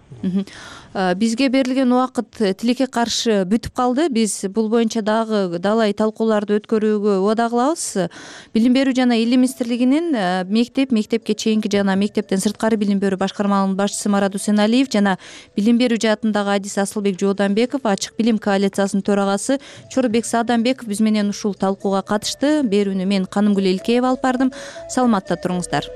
э бизге берилген убакыт тилекке каршы бүтүп калды. Биз бул боюнча дагы далай талкууларды өткөрүүгө убада кылабыз. Билим берүү жана илим министрлигинин мектеп, мектепке чейинки жана мектептен сырткары билим берүү башкармаларынын башчысы Марат Усеналиев жана билим берүү жаатындагы адис Асылбек Жооданбеков, ачык билим коалициясынын төрагасы Чорубек Саадамбеков биз менен ушул талкууга катышты. Берүүнү мен Канымгүл Элкеева алып бардым. Саламатта туруңуздар.